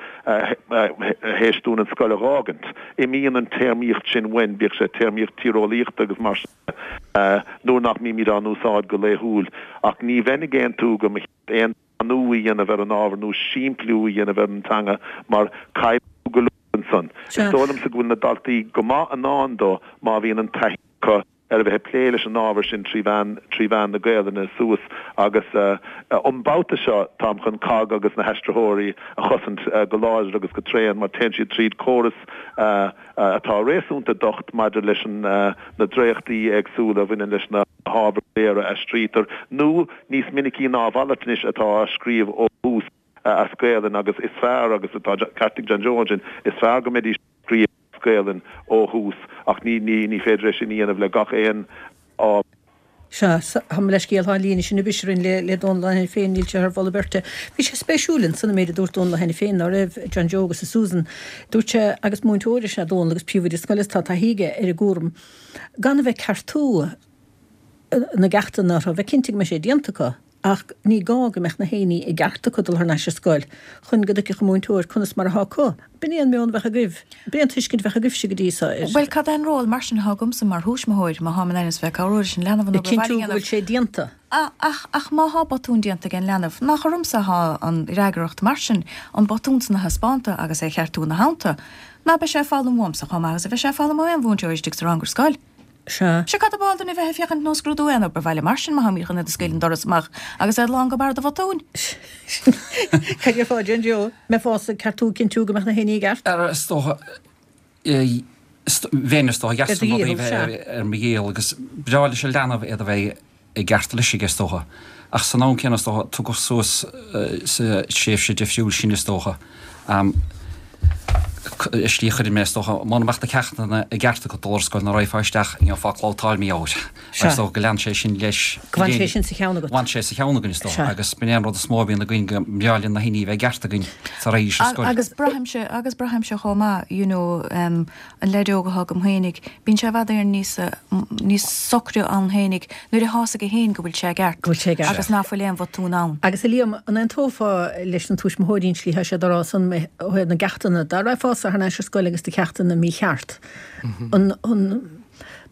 théis dúinn an scoil a dh'fhágaint. Imíonn an téarmaíocht sin uainn, bíodh sé téarmaíocht tíreolaíochta agus mar sin de, nuair nach mbímid á n-úsáid go laethúil. Ach ní bheinn ag aontú go mba cheart aon domhainú a dhéanamh ar an ábhar nó simpliú a dhéanamh ar an teanga mar caillfidh tú go leor ansan. Is dóigh liomsa go bhfuil na daltaí go maith in ann dó má bhíonn an taithí acu ar a bheith ag plé leis an ábhar sin trí mheán trí mheán na Gaelainne suas agus an babhta seo táim chun COGG agus na haistritheoirí a chosaint go láidir agus go tréan mar téann siad tríd córas atá réasúnta docht maidir leis an na dréachtaí éagsúla a bhaineann leis na hábhair go léir a aistrítear nó níos minicí ná a mhalairt anois atá á scríobh ó thús as Gaelainn agus is fearr agus tá ceart ag John Joe ansin is fearr go mbeidís á scríobh as Gaelainn ó thús ach ní ní ní féidir é sin a dhéanamh le gach aon ábhar. Sea, tá mo leithscéal, tá an líne sin ag briseadh orainn le le Dónal Ó hAiniféin, níl sé thar mholadh beirte. Bhí sé spéisiúil ansan an méid a dúirt Dónal Ó hAiniféin ná raibh John Joe agus a Susan. Dúirt sé, agus múinteoir is ea Dónal agus príomhoide scoile is tá taithí aige ar an gcúram, gan a bheith ag ceartú na gceachtanna orthu, bheith cinnte go mbeidh sé déanta acu. Ach ní gá go mbeadh na haon ní i gceart acu dul thar n-ais ar scoil chun go dtuigfeadh an múinteoir conas mar atá acu. B'in é an meon a bheadh agaibh. B'in é an tuiscint a bheadh agaibhse go dtí so air. Bhuel, cad é an ról mar sin atá agamsa mar thuismitheoir má tháim in ainm is bheith ag cabhrú leis an leanbh an Ag obair bhaile a cinntiú go dhéanamh? bhfuil sé déanta. Ach, ach má thá botún déanta ag an leanbh, nach ormsa atá an fhreagracht mar sin an botún san a thaispeánta agus é a cheartú ina theannta? Ná beidh sé ag foghlaim uaimsa chomh maith agus a bheidh sé ag foghlaim ó aon mhúinteoir istigh sa rang ar scoil? Sea. Sea, cad ab áil dúinn a bheith ag féachaint nó scrúdú aon obair bhaile mar sin má tháimid chun iad a scaoileadh an doras amach agus iad lán go barr de bhotúin? Cad déarfá, John Joe? Mbeifeása ag ceartú, cinntiú go mbeadh na haon ní i gceart? Ar, is dócha, bheinn is dócha, Ar dheas do an rud é dhícheall, sea. bheith ar mo dhícheall agus breá leis an leanbh iad a bheith i gceart leis aige is dócha. Ach san am céanna is dócha, tugadh suas sa tréimhse difriúil sin is dócha. I slí a chuireann mé is dócha, muna mbeadh na ceachtanna i gceart agat dul ar scoil ná raghfá isteach, gheofá clabhtáil mí ádh. Sea. Is dócha go lean sé sin leis. Go bhfan sé sin sa cheann agat. Bhfan sé sa cheann againn is dócha Sea. agus b'in é an rud is mó a bhíonn againn go mbreá linn na haon ní a bheith i gceart againn sara raghaidís ar scoil. Agus braithimse, agus braithimse chomh maith, you know, an leaid óg atá agam fhéinig, bíonn sé i bhfad Éireann níos, níos socra ann fhéinig nuair atá fhios aige fhéin go bhfuil sé i gceart. Go bhfuil sé i gceart. Agus ná fuil aon bhotún ann. Agus a Liam, an aontófá leis na tuismitheoirí an tslí thá siad á rá san ó thaobh na gceachtanna, dá raghfása thar n-ais ar scoil agus do cheachtanna mícheart, an an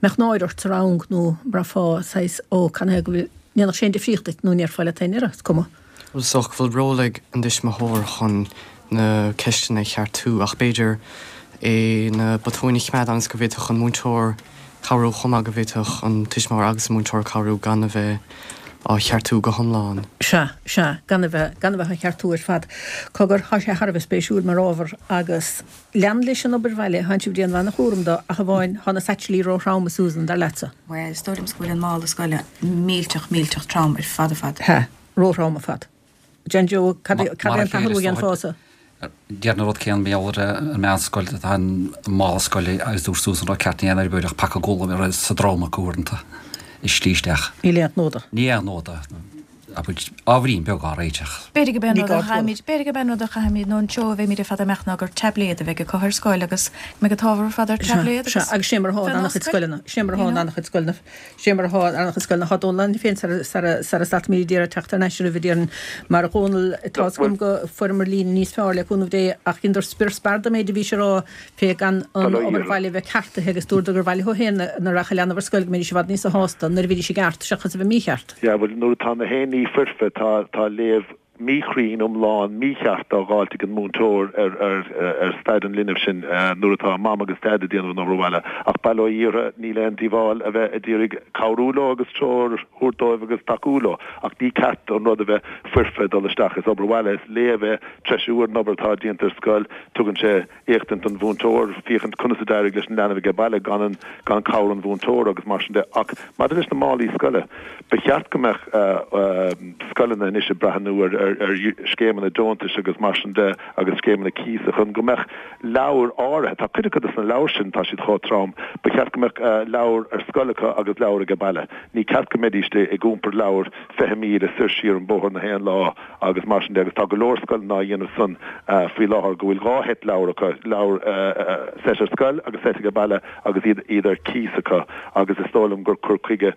mbeadh náire ort sa rang nó mbraithfeá saghas ó canathaobh go bhfuil, ndéanfadh sé aon difríocht duit nó an ndéarfá leat féin, is cuma. Bhuel, is dócha go bhfuil ról ag an dtuismitheoir chun na ceisteanna a cheartú ach b'fhéidir é na botúin a choimeád ionas go bhféadfadh an múinteoir cabhrú chomh maith, go bhféadfadh an tuismitheoir agus an múinteoir cabhrú gan a bheith á cheartú go hiomlán. Sea, sea, gan a bheith, gan a bheith á cheartú ar fad. Cogar, thá sé thar a bheith spéisiúil mar ábhar agus lean leis an obair bhaile, thánn sibh ag déanamh an-chúram do, ach amháin, thá na saitsilí ró-throm, a Susan, dar leatsa. Bhuel, is dóigh liomsa go bhfuil an mála scoile millteach, millteach trom ar fad ar fad. Hea, ró-throm ar fad. John Joe, cad é Mar a an chéile, t-athrú a is dócha. dhéanfása? Déarfainn an rud céanna mar gheall ar an meánscoil, tá an mála scoile agus dúirt Susan an rud ceart ní aon obair ach paca guala sa drom acu uaireanta i slí isteach. Níl aon ghnó de. Ní aon ghnó de. Abair, ábhairín beag á réiteach. B'fhéidir go b'é an Ní rud a gá tuilleadh. chaithfimid, b'fhéidir go b'é an rud a chaithfimid nó an treo a bheimid ar fad ag imeacht ná gur taibléad a bheidh acu ar scoil agus go mbeidh an t-ábhar ar fad ar Sea, taibléad sea, agus agus sé mar atá in bheith an-chuid oscail, scoileanna, sé mar you atá in know. an-chuid scoileanna, sé mar atá in an-chuid scoileanna. Tá Dónal ann féin sara, sara, sara stadfaimid d'iarraidh teacht thar n-ais oraibh a déarfainn. Mar a Dhónaill, tá 's agam go fuaireamar líne níos fearr le cúnamh Dé ach dheineadar spior spear den méid a bhís a rá fé gan an Bail ó obair Dhia. bhaile a bheith ceartaithe agus dúradar gur mhaith leo féin nuair a rachadh leanbh ar scoil go mbeidís i bhfad níosa shásta nuair a bhídís i gceart seachas a bheith mícheart. Yeah, bhuel nuair atá na haon ní foirfe tá tá léamh míchruinn iomlán mícheart á dháileadh ag an múinteoir ar ar ar staid an linbh sin nuair atá mam agus dad ag déanamh an obair bhaile. Ach bail ó Dhia orthu, níl aon díobháil a bheith ag iarraidh cabhrú leo agus treoir a thabhairt dóibh agus tacú leo. Ach ní ceart an rud a bheith foirfe dul isteach. Is obair bhaile, is léamh é, treisiú ar an obair atá déanta ar scoil. Tugann sé éachtaint don mhúinteoir féachaint conas a d'éirigh leis an leanbh ag baile gan an gan cabhair an mhúinteora agus mar sin de. Ach maidir leis na málaí scoile, ba cheart go mbeadh scoileanna anois ag breathnú ar ar scéimeanna deontais agus mar sin de agus scéimeanna cíosa chun go mbeadh leabhair áirithe, tá cuid acu de na leabhair sin, tá siad chomh trom, ba cheart go mbeadh leabhar ar scoil acu agus leabhar ag baile. Ní ceart go mbeidís ag iompar leabhar fiche míle soir siar an bóthar na haon lá agus mar sin de agus tá go leor scoileanna á dhéanamh san faoi láthair go bhfuil dhá sheit leabhar acu, leabhar seit ar scoil agus seit ag baile agus iad iad ar cíos acu agus is dóigh liom gur cur chuige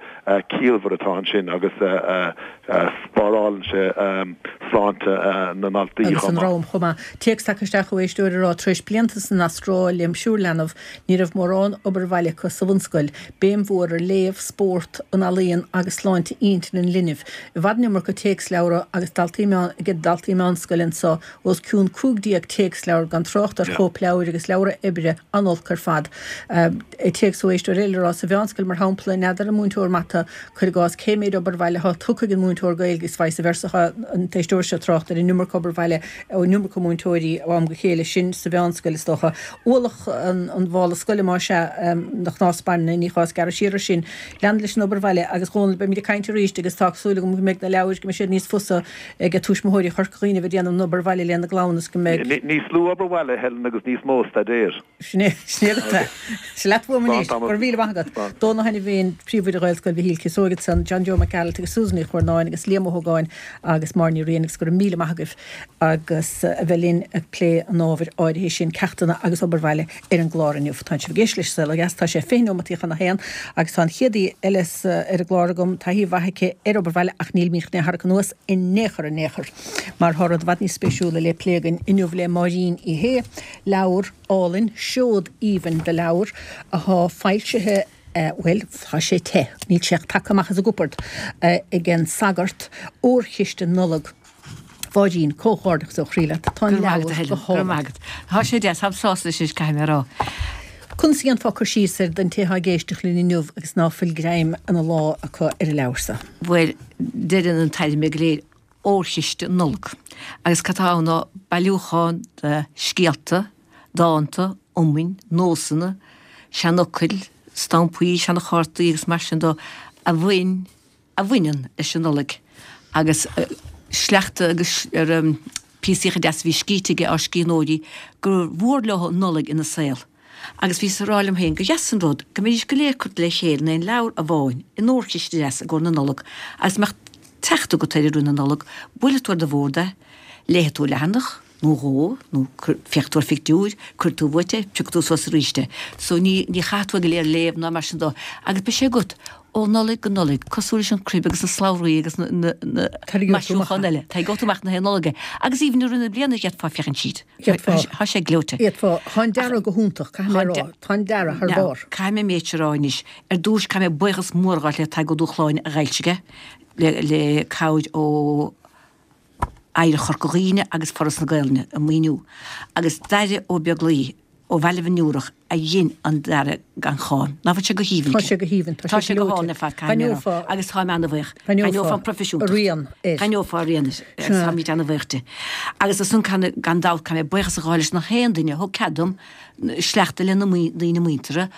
ciallmhar atá ansin agus spárálann sé sláinte na ndaltaí Agus chomh an maith. dream chomh maith. Téacs tagtha isteach ó éisteoir ag rá, Tar éis blianta san Astráil lem thriúr leanbh, ní raibh mórán obair bhaile acu sa bhunscoil. Béim mhór ar léamh, spórt, an ealaíon agus sláinte intinne an linbh. I bhfad an iomarca téacsleabhra agus daltaí meán ag daltaí meánscoile anseo, os cionn cúig déag téacsleabhar gan trácht ar chóipleabhair agus leabhra oibre, an-olc ar fad. Téacs ó éisteoir eile ag rá, Sa mheánscoil, mar shampla, n'fheadar an múinteoir mata, cuir i gcás, cé méid obair bhaile atá tugtha ag an múinteoir Gaeilge is vice versa. Tá an t-éisteoir seo ag trácht ar an iomarca obair bhaile ón iomarca múinteoirí ó am go chéile, sin sa mheánscoil is dócha. Ualach an mhála scoile más ea, na cnámha spairne, ní gá gearradh siar ar sin. Lean leis an obair bhaile agus Dhónaill, beimid ag caint arís agus tá súil agam go mbeidh na leabhair, go mbeidh siad níos fusa ag tuismitheoirí Chorca Dhuibhne a bheith ag déanamh an obair bhaile lena gclann is go mbeidh. Níos lú obair bhaile, Helen, agus níos mó staidéir. Sin é, sin é agat é. Sin leat uaim anois. Go raibh míle maith agat. Dónall Ó hAinmhéin, Príomhoide Ghaelscoil Mhichíl Cíosóig ansan, John Joe Mac Gearailt agus Susan Ní Churnáin agus Liam Ó hÓgáin agus Máire Ní Riain agus go raibh míle maith agaibh agus a bheith linn ag plé an ábhair áirithe sin, ceachtanna agus obair bhaile ar an gclár inniu. Tá sibh ag éisteacht leis Saol Ó Dheas, tá sé fiche nóimeataí chun a haon agus tá an chéad aoi eile ar an gclár agam, taithí mhaith aici ar obair bhaile ach nílimid chun é a tharrac anuas in aon chor in aon chor mar tá rud i bhfad níos spéisiúla le plé againn inniu le Máirín Uí Shé, leabhar álainn, seod aoibhinn de leabhar athá foilsithe, bhuel, tá sé te, níl sé ach tagtha amach as an gcupard, ag an sagart, Órchiste Nollag. Mháirín, comhghairdeachas ó chroí leat, tá an Go raibh maith agat, leabhar a Helen, go go raibh hálainn. maith agat. Tá sé deas, táim sásta leis anois, caithfidh mé a rá. Conas a dhéanfá cur síos air don té atá ag éisteacht linn inniu agus ná fuil greim ina lámh acu ar an leabhar so? Bhuel, deireann an t-ainm go léir Órchiste Nollag. Agus cad tá ann ná bailiúchán de scéalta, dánta, iomainn, nósanna, seanfhocail, stampaí, seanchártaí agus mar sin de a bhain, a bhaineann leis an Nollaig. Agus sleachta agus ar píosaíocha deasa a bhí scríte ag ár scríbhneoirí gur mhór leo an Nollaig ina saol. Agus bhíos ag rá liom féin gur dheas an rud go mbeidís go léir curtha le chéile in aon leabhar amháin, in órchiste deas i gcomhair na Nollag, agus mbeadh teacht agat air i rith na Nollag, buailfidh tú ar do bhord é, léifidh tú leathanach, nó dhó, nó féachfaidh tú ar phictiúr, cuirfidh tú uait é, piocfaidh tú suas arís é. So ní, ní chaithfidh tú é go léir a léamh ná mar sin dó. Agus beidh sé agat ó Nollaig go Nollaig, cosúil leis an crib agus na slabhraí agus na, na, na Tarraingeoidh tú amach maisiúcháin é. eile. Tarraingeoidh tú amach na haon Nollaig é. Agus even i rith na bliana d'fhéadfá féachaint tríd. D'fhéadfá. Tá sé gleoite. D'fhéadfá. Tá an dearadh go hiontach, caithfidh mé a rá. Tá an dearadh thar Now, barr. caithfidh mé méid a rá anois. Ar dtús, caithfidh mé buíochas mór a ghabháil le Tadhg Ó Dúshláine a d'fhoilsigh é, le, le cabhair ó Oidhreacht Chorca Dhuibhne agus Foras na Gaelainne ag maoiniú, agus Daire Ó Beaglaoi ó Bhaile Bhinn Iúrach a dhein an dearadh gan cháim. Ná fuil sé go haoibhinn Tá sé go haoibhinn, tá Tá sé sé go gleoite. hálainn ar fad, caithfidh mé a rá. D'aithneofá. Agus táim ana-bhuíoch. D'aithneofá D'aithneofá an proifisiúntacht. a rian air. D'aithneofá a rian air. Agus Sea. táimid ana-bhuíoch de. Agus ansan gan, gan dabht caithfidh mé buíochas a ghabháil leis na haon duine a thug cead dom sleachta lena ndaoine muinteartha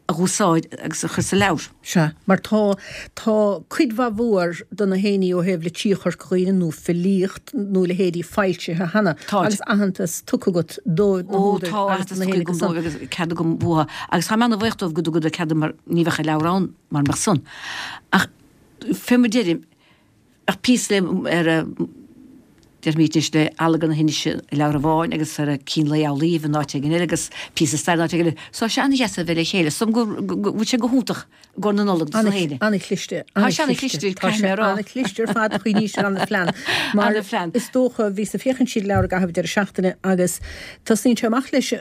a dh'úsáid agus a chur sa leabhar. Sea, mar tá, tá cuid mhaith mhór de na héinní ó thaobh litríocht Chorca Dhuibhne nó filíocht nó leithéidí foilsithe cheana Táid. agus aitheantas tugtha agat dóibh, na Ó, húdair tá agus aitheantas do na tugtha héinní agam go dóibh agus cead agam uathu. Agus táim ana-bhuíoch dóibh go dtugadar cead dom mar ní bheadh an leabhar ann mara mbeadh san. Ach fé mar deirim, ach píosa le ar a deirmid anois le Allagar na hInse i leabhar amháin agus ar a Cín Lae Amhlaoibh in áit éigin eile agus píosa staire in áit éigin eile. So sé an-dheas a bheith le chéile. So go bhfuil sé go hiontach i gcomhair na Nollag dos na héinne. An-chliste, Tá sé an-chliste, Tá caithfidh sé mé a rá. an-chliste ar fad, chuimhnís ar an-phlean. Mar An-phlean. is dócha bhíos ag féachaint tríd an leabhar i gcaitheamh deireadh seachtaine agus tosaíonn sé amach leis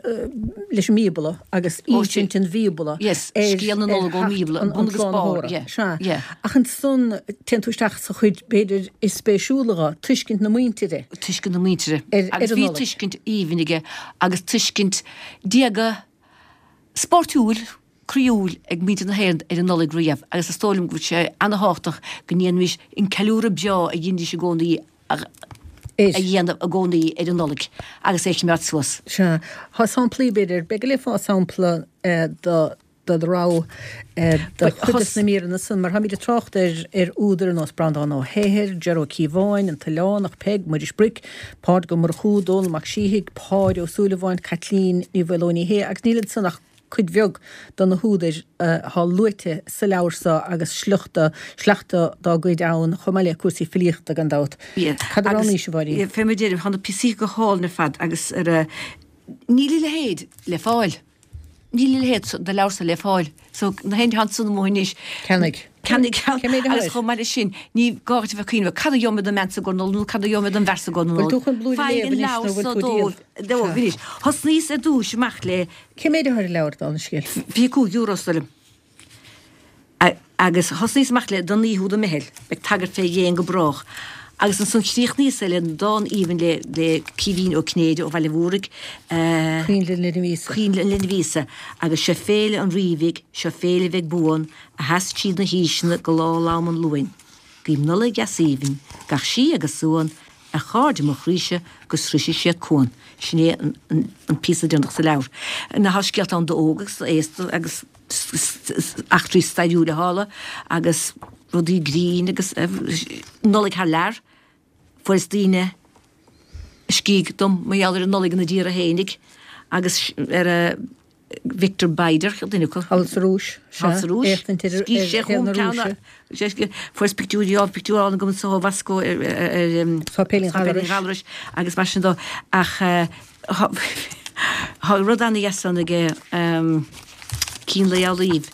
leis an mBíobla agus insint an Bhíobla Yes, ar scéal na ar Nollag ón theacht mBíobla, an bun agus barr, tSlánaitheora. yeah, Sea. yeah. Ach ansan téann tú isteach sa chuid b'fhéidir is spéisiúla dho, tuiscint na muintire. Tuiscint na muintire. Ar, Agus ar an bhí Nollaig. tuiscint aoibhinn aige agus tuiscint diaga spórtúil, croíúil ag muintir na hÉireann ar an Nollaig riamh agus is dóigh liom go bhfuil sé ana-thábhachtach go ndéanfaimis an ceiliúradh breá a dheinidís i gcónaí a Air. a dhéanamh i gcónaí ar an Nollaig agus é a choimeád suas. Sea. Tá samplaí b'fhéidir, beidh go leor fá sampla eh, do do do rogha do chuid de na míreanna san, mar táimid ag trácht ar ar údair ar nós Breandán Ó hEithir, Ger Ó Cíobháin, An tOileánach, Peig, Muiris Bric, Pádraig Ó Murchú, Dónall Mac Síthigh, Páid Ó Súilleabháin, Caitlín Ní Mhaoileoin Ní Shé agus níl ansan ach cuid bheag de na húdair atá luaite sa leabhar seo agus sliochta, sleachta dá gcuid ann, chomh maith le cúrsaí filíochta gan dabht. Cad a roghnaís, a Mháirín? Fé mar a deirim, tá na píosaí go hálainn ar fad agus ar a, níl a leithéid le fáil. Níl a leithéid de leabhar seo le fáil. So, na héinne atá ansan amuigh anois. Ceannaigh. Ceannaigh ceann. Cé mhéad Agus chomh maith leis sin, ní gá duit a bheith ag cuimhneamh, cad a gheobhaidh mé don mbean sa gcomhair Nollag nó cad a gheobhaidh mé don bhfear sa gcomhair Bhfuil Nollag. tú chun blúire a Faigh léamh an anois nó leabhar bhfuil so tú ag díol? dóibh. Dóibh anois. Thosnaíos ar dtúis amach le. Cé mhéad atá ar an leabhar, dála an scéil? Fiche cúig euro, is dóigh liom. Agus thosnaíos amach le Don Naoi Húd an Meitheal, beidh tagairt fé dhéin go brách. Agus ansan chríochnaíos é le dán aoibhinn le le Caoimhín Ó Cinnéide ó Bhaile Mhúraigh, Coinnle an Linbh Íosa. Coinnle an Linbh Íosa. Agus seo féile an Rí bhig, seo féile bheidh buan, a sheas tríd na haoiseanna go lá lom an Luain. Guím Nollaig dheas aoibhinn, gach sí agus suan, ar chairde mo chroíse go sroise siad cuan. Sin é an an píosa deireanach sa leabhar. Ná tá scéalta ann d'óg agus d'aosta agus eachtraí stairiúla a tharla agus rudaí grinn agus Nollaig thar lear. Fuaireas daoine a scrígh dom mar gheall ar an Nollaig ina dtíortha fhéinig agus ar a Victor Beider, duine acu. Thall sa Rúis, sea. Thall sa Rúis. Éachtaint ar Scrígh sé shaol chugam na ceann Rúise. Fuaireas pictiúirí, á, pictiúr álainn agam anso ó Mhoscó ar Sáipéilín Sáipéilín Ghallarais. Ghallarais agus mar sin dó. Ach Tá rud ana-dheas ann aige Cín Lae Amhlaoibh,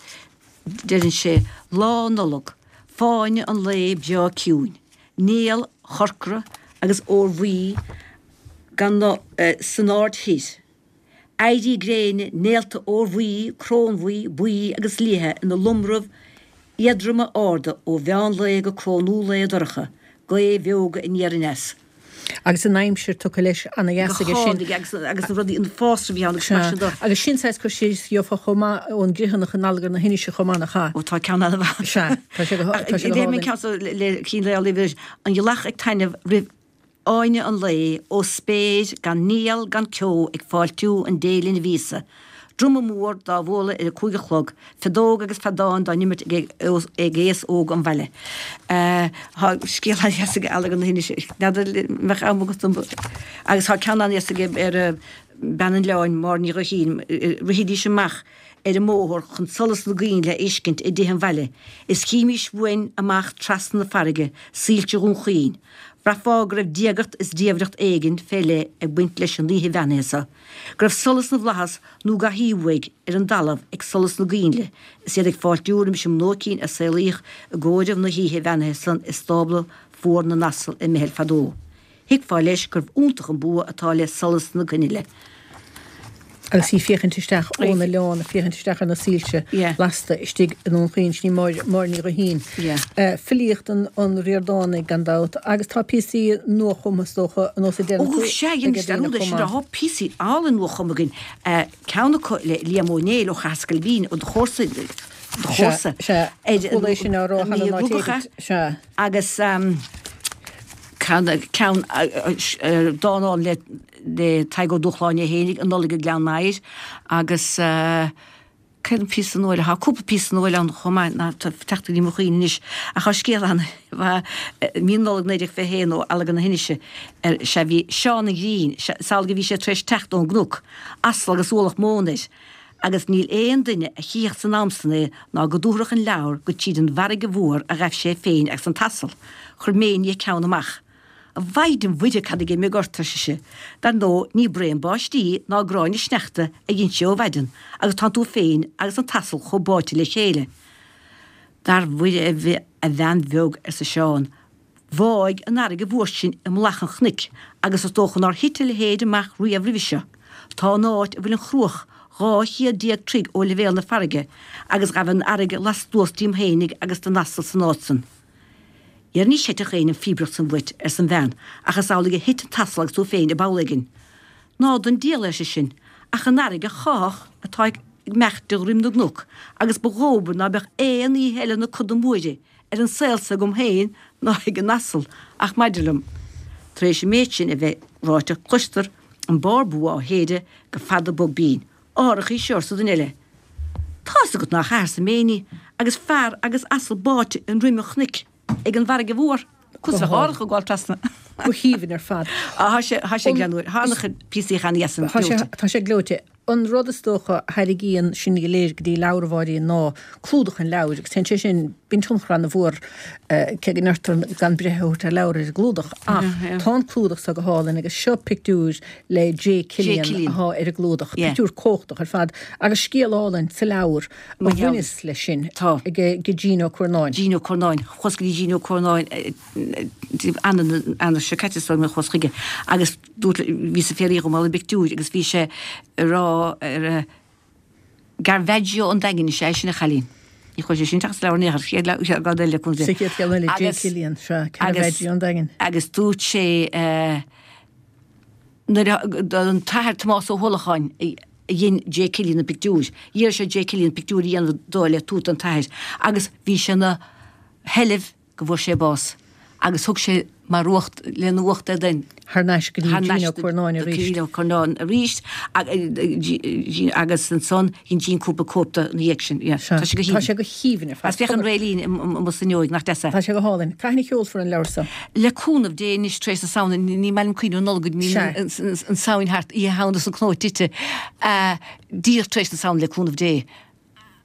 deireann sé, Lá Nollag, fáinne an lae breá ciúin, néal chorcra agus órbhuí gan san aird thoir, éirí gréine, néalta órbhuí, crónbhuí, buí agus liatha ina lomraibh éadroma arda ó mheán lae go crónú lae dorcha, gaoth bheoga aniar aneas. Agus an aimsir tugtha leis ana-dheas Go aige sin. hálainn agus agus na rudaí, an fásra a bhí ann agus mar Sea. sin de. Agus sin saghas cur síos a gheofá chomh maith ón gCriomhthanach in Allagar na hInise chomh maith, nach ea? Ó tá ceann an-mhaith. Sea, tá sé go Ach tá sé go léigh mé an hálainn. ceann so le le Cín Lae Amhlaoibh arís, An ghealach ag taitneamh roimh fháinne an lae ó spéir gan néal gan ceo ag fáiltiú an Dé Linbh Íosa. Druma mór dá bhualadh ar a cúig a chlog, feadóg agus feadán dá n-imirt ag aos óg an bhaile. Tá scéal an-dheas aige Allagar na hInise, n'fheadar an mbeadh am agat dom, agus tá ceann an-dheas aige ar Bean an Oileáin, Máire Ní Ghuithín, Rithidís amach ar an mbóthar chun solas na gcoinnle a fheiscint i dtithe an bhaile, is chímís uainn amach trasna na farraige soilse Dhún Chaoin. Bhraithfeá go raibh diagacht is diamhaireacht éigin fé leith ag baint leis an oíche bheannaithe so, go raibh solas na bhflaitheas nó gach aoibh uaidh ar an dtalamh ag solas na gcoinnle is iad ag fáiltiú roimis an mbnóicín a saolaíodh i gcomhaireamh na hoíche bheannaithe san i stábla fuar na n-asal i mBeithil fadó. Thuigfeá leis gurbh iontach an bua atá le solas na coinnle. Agus í féachaint isteach ón oileán, ag féachaint isteach ar na soilse lasta istigh i nDún Chaoin, sin í Máire, Máire Ní Ghuithín. Filíocht an an Ríordánaigh gan dabht, agus tá píosaí nuachumtha is dócha, ar nós a déanann Ó tú sea, ag dhein daoine dearúd é chomh sin, maith. tá píosaí álainn nuachumtha againn, ceann acu le Liam Ó Néill ó Chathair Scailbín, ó do chomharsa, do Sea, chomharsa, sea, ar chuala é sin á rá an cheana Naomh an áit Rugadh, éigint, sea. Agus ceann, ceann, dán álainn le le Tadhg Ó Dúshláine é fhéinig, An Nollaig i nGleann Maghair, agus cén píosa nua eile? Tá cúpla píosa nua eile ann chomh maith ná tá teacht go dtí mo chuimhne anois, ach tá scéal ann, mí Nollag naoi déag fiche a haon ó Allagar na hInise, ar sea bhí Seán an Ghrinn, is amhlaidh a bhí sé tar éis teacht ón gcnoc, asal agus ualach móna air, agus níl aon duine a chífeadh san am san é ná go dtabharfadh an leabhar gur tríd an bhfarraige mhór a ghaibh sé féin agus an t-asal. Chuir Méiní a ceann amach. A Mhaighdean Mhuire cad a d'imigh ort, ar sise. Dar ndóigh ní braon báistí ná gráinne sneachta a dhein sé ó mhaidin agus tánn tú féin agus an t-asal chomh báite le chéile. Dar Mhuire a bhean bheag, arsa Seán, bháigh an fharraige mhór sin i mullach an chnoic agus is dócha nár thit a leithéid amach riamh roimhe seo. Tá an áit a bhfuil an chruach dhá chéad déag troigh ó leibhéal na farraige agus ghabh an fharraige lastuas díom fhéinig agus den asal san áit san. Dhera ní chreidfeadh éinne an phíobaireacht san uait, arsa an bhean, ach is amhlaidh a thit an t-asal agus tú féin i bpoll éigin. Ná don diabhal, ar seisean, ach an fharraige cháitheach atá ag imeacht de dhroim na gcnoc, agus ba dhóbair ná beadh aon oíche eile na coda móire ar an saol so agam féin ná ag an asal, ach maidir liom, tar éis an méid sin a bheith ráite, cloistear an barr bua á shéideadh go fada bog binn. Árach í seo, arsa duine eile. Tá's agat nár chaith arsa Méiní agus fear agus asal báite i ndroim an chnoic ag an bhfarraige mhór. Go Cosúil le hálainn. árthach ag gabháil trasna. Go haoibhinn ar fad. Á, thá sé, thá sé greannmhar. Thá an-chuid píosaí cheana dheas Tá sé, gleoite. tá sé gleoite. An rud is dócha a tharraingíonn sinn go léir go dtí leabhar a Mháirín ná clúdach an leabhair agus téann sé sin, bíonn tionchar an-mhór cé go ndeirtear gan breith a thabhairt ar leabhar ar an gclúdach ach tá an clúdach so go hálainn agus seo pictiúr le J. Killian atá ar an gclúdach, pictiúr cumhachtach ar fad agus scéal álainn sa leabhar a bhaineas leis sin ag Gene Ó Curnáin. Gene Ó Curnáin, chuas go dtí Gene Ó Curnáin Eanáir seo caite is dóigh liom a chuas chuige agus dúirt, bhíos ag fiafraí dhó mar gheall ar an bpictiúr agus bhí sé ag rá ar Caravaggio an Daingin is ea é sin a chailín. Ní chuaigh sé sin isteach sa leabhar in aon chor, chéad leabhar eile le Sa chéad cheann eile, J. Killian, sea, Caravaggio an Daingin. Agus dúirt sé nuair a an t-athair Tomás Ó hUallacháin a dhein J. Killian an pictiúr, d'iarr sé J. Killian pictiúr a dhéanamh dó le tabhairt don t-athair agus bhí sé ina sheilbh go bhfuair sé bás agus thug sé mar uacht lena uacht é den Thar n-ais go dtí Gene Ó Curnáin arís. Gene Ó Curnáin arís agus ansan dhein Gene cúpla cóip de ina dhiaidh sin. Tá sé go Tá sé go haoibhinn ar fad. Agus féach an réiltín amuigh san fhuinneoig, nach deas é? Tá sé go hálainn. Cathain a sheolfar an leabhar seo? Le cúnamh Dé anois tar éis na Samhna, ní maith liom cuimhneamh ar an Nollaig go dtí an Samhain thart, Oíche Shamhna is an cnó tite, díreach tar éis na Samhna le cúnamh Dé.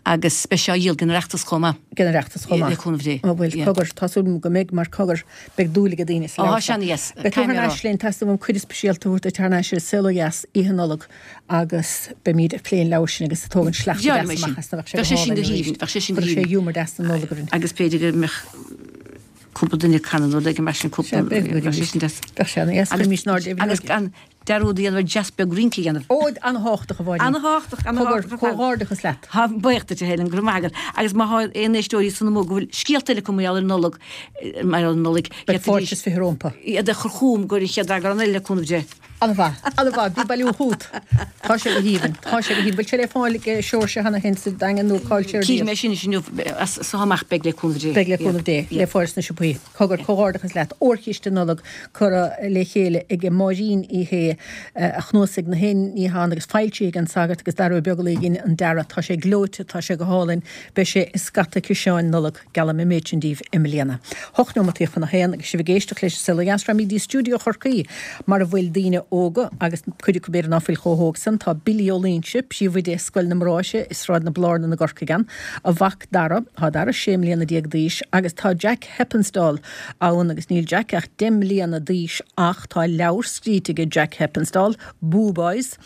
Agus beidh sé á dhíol ag an Oireachtas chomh maith. Ag an Oireachtas chomh maith. Le cúnamh Dé. Ó bhuel, cogar, tá súil agam go mbeidh mar cogar, beidh dúil ag daoine sa Ó, leabhar tá sé ana-dheas. Beidh tú thar n-ais linn, teastaíonn uaim cuireadh speisialta a thabhairt duit thar n-ais ar an Saol Ó Dheas oíche Nollag agus beimid ag plé an leabhair sin agus ag tógaint sleachta Bheadh deasa sin. amach as na bheadh sé go Bheadh sé sin hálainn go arís. haoibhinn, bheadh sé sin go Chuirfeadh sé haoibhinn. giúmar deas na Nollag orainn. Agus b'fhéidir go mbeadh cúpla duine ag canadh nó rud éigin mar sin, cúpla, Sea, beidh, bheadh sé sin deas. Bheadh sé ana-dheas, Agus cuirimis in airde agus gan dearúd a dhéanamh ar dreas beag rince a dhéanamh. Ó, an-thábhachtach, a Mháirín. An-thábhachtach, an-thábhachtach ar fad. Comhghairdeachas leat. Tá buíoch duit, a Helen, go raibh maith agat. Agus má thá aon éisteoirí san amuigh go bhfuil scéalta eile acu mar gheall ar an Nollaig, mar gheall ar an Nollaig, Beidh fáilte is fiche rompu. Iad a chur chugam go dtí an chéad eagrán eile le cúnamh Dé. An-mhaith, an-mhaith, bí ag bailiú chugat. Tá sé go haoibhinn, tá sé go haoibhinn. Bhfuil sé le fáil ag Seoirse cheana féin sa Daingean nó cá bhfuil sé ar Cífidh díol? mé sin anois inniu, as so amach beidh le cúnamh Dé. Beidh le cúnamh Dé, le fáil sna siopaí. Cogar, comhghairdeachas leat. Órchiste Nollag curtha le chéile ag Máirín Uí Shé, a chnuasaigh na haon ní atá ann agus foilsithe ag An Sagart agus Dara Ó Beaglaoich a dhein an dearadh. Tá sé gleoite, tá sé go hálainn. Beidh sé i scata ciseáin Nollag, geallaim an méid sin daoibh i mbliana. Hocht neomataí chun a haon agus sibh ag éisteacht leis an Saol Ó Dheas, rachaimid go dtí stiúideo Chorcaí mar a bhfuil daoine óga agus cuid acu b'fhéidir ná fuil chomh hóg san. Tá Billy Ó Loingsigh, príomhoide Scoil na mBráithre i Sráid na Blarnan i gCorcaigh ann, a mhac Dara, tá Dara sé mbliana déag d'aois agus tá Jack Heppenstall ann agus níl Jack ach deich mbliana d'aois ach tá leabhar scríte aige Jack Heppenstall, Boo Boys,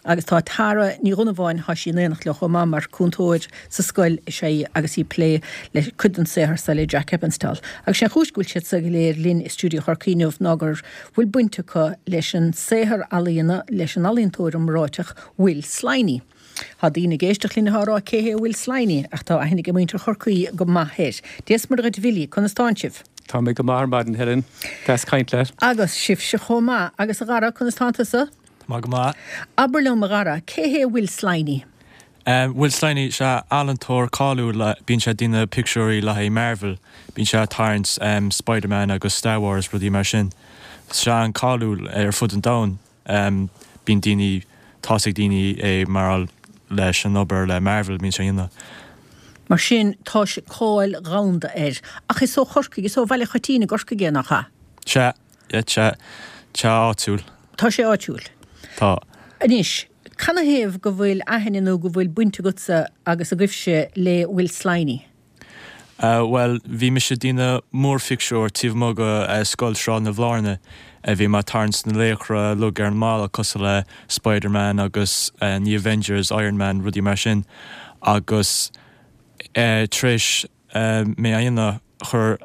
agus tá Tara Ní Dhonnabháin, tá sí in éineacht leo chomh maith mar cúntóir sa scoil is ea í agus í ag plé le cuid den saothar seo le Jack Heppenstall. Agus sé an chúis go bhfuil siad seo go léir linn i stiúideo Chorcaí inniu ná gur bhfuil baint acu leis an saothar ealaíona leis an ealaíontóir iomráiteach Will Sliney. Tá daoine ag éisteacht linn atá ag rá cé hé Will Sliney ach tá aithne ag muintir Chorcaí go maith air. Dia is Muire dhuit Bhilly, conas tánn sibh? Tá mé go maith ar maidin Helen, deas caint leat. Agus sibhse chomh maith. Agus a Dhara, conas tánn tusa? Tá mé go maith. Abair liom a Dhara, cé hé Will Sliney? Will Sliney, sea, ealaíontóir cáiliúil, bíonn sé ag déanamh pictiúirí le haghaidh Marvel, bíonn sé ag tarraingt Spiderman agus Star Wars, rudaí mar sin. Tá sé an-cáiliúil ar fud an domhain, bíonn daoine, tá's ag daoine é mar leis an obair le Marvel a bíonn sé a dhéanamh. Mar sin, tá sé, cáil dhomhanda air. Ach is ó Chorcaigh, is ó Bhaile Choitín i gCorcaigh é, nach ea? Sea, yeah, tá sé áitiúil. Tá sé áitiúil. Tá. Anois, canathaobh go bhfuil aithne nó go bhfuil baint agatsa agus agaibhse le Will Sliney? Bhuel, bhí mise ag déanamh múrphictiúr taobh amuigh de Scoil Sráid na Bhlárna. Bhí mé ag tarraingt na laochra uilig ar an mballa cosúil le Spiderman agus na Avengers, Iron Man, rudaí mar sin. Agus tar éis mé a dhéanamh, chuir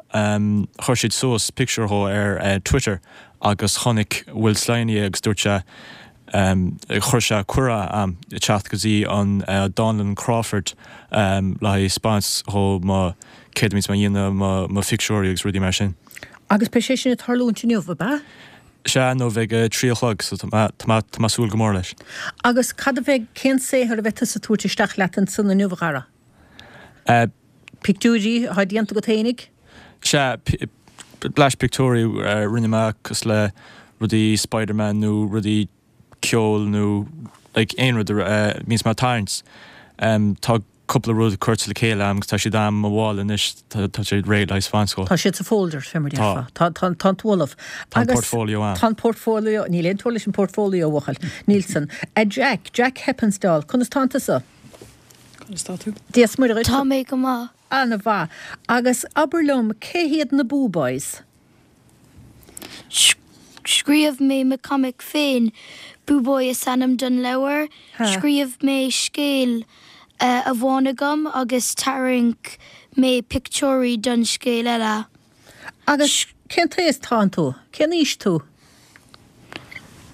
chuir siad suas pictiúr dhó ar Twitter agus chonaic Will Sliney é agus dúirt sé, Chuir sé cuireadh a'm teacht go dtí an Dánlann Crawford le haghaidh 'speáint dhó mo céard a bhíonns mé a dhéanamh, mo phictiúirí agus rudaí mar sin. Agus beidh sé sin ag tarlúint inniu, ab ea? Sea, inniu ag a trí a chlog, so tá mé tá mé ag súil go mór leis. Agus cad a bheidh, cén saothar a bheidh tusa ag tabhairt isteach leat ansan inniu, a Dhara? Pictiúirí atá déanta agat fhéinig? Sea, blais pictiúirí a rinne mé cosúil le rudaí Spiderman nó rudaí ceoil nó like aon rud a bhíonns mé ag tarraingt. Tá cúpla rud curtha le chéile agam agus tá siad a'm mo bhall anois, tá siad réidh le haghaidh scoil. Tá siad sa folder, fé mar a déarfá. Tá. Tá, tá tú ullamh. Tá an portfolio a'm. Tá an portfolio, níl aon teora leis an portfolio, a bhuachaill. Níl san. A Jack, Jack Heppenstall, conas tánn tusa? Conas tá tú? Dia is Muire dhuit. Tá mé go maith. Ana-mhaith. Agus abair liom, cé hiad na Boo Boys? Scríobh mé mo comic féin, Boo Boy is ainm don leabhar. Scríobh mé scéal amháin agam agus tharraing mé pictiúirí don scéal eile. Agus cén t-aos tánn tú? Cén aois tú?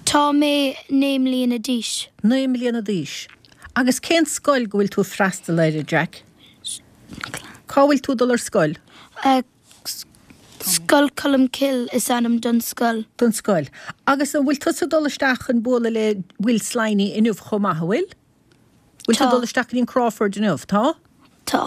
Tá mé naoi mbliana d'aois. Naoi mbliana d'aois. Agus cén scoil go bhfuil tú ag freastal air, a Jack? Cá bhfuil tú ag dul ar scoil? Scoil Colmcille is ainm don scoil. Don scoil. Agus an bhfuil tusa ag dul isteach chun bualadh le Will Sliney inniu chomh maith, an bhfuil? Bhfuil tú ag dul isteach go dtí an Crawford inniu? Tá? Tá.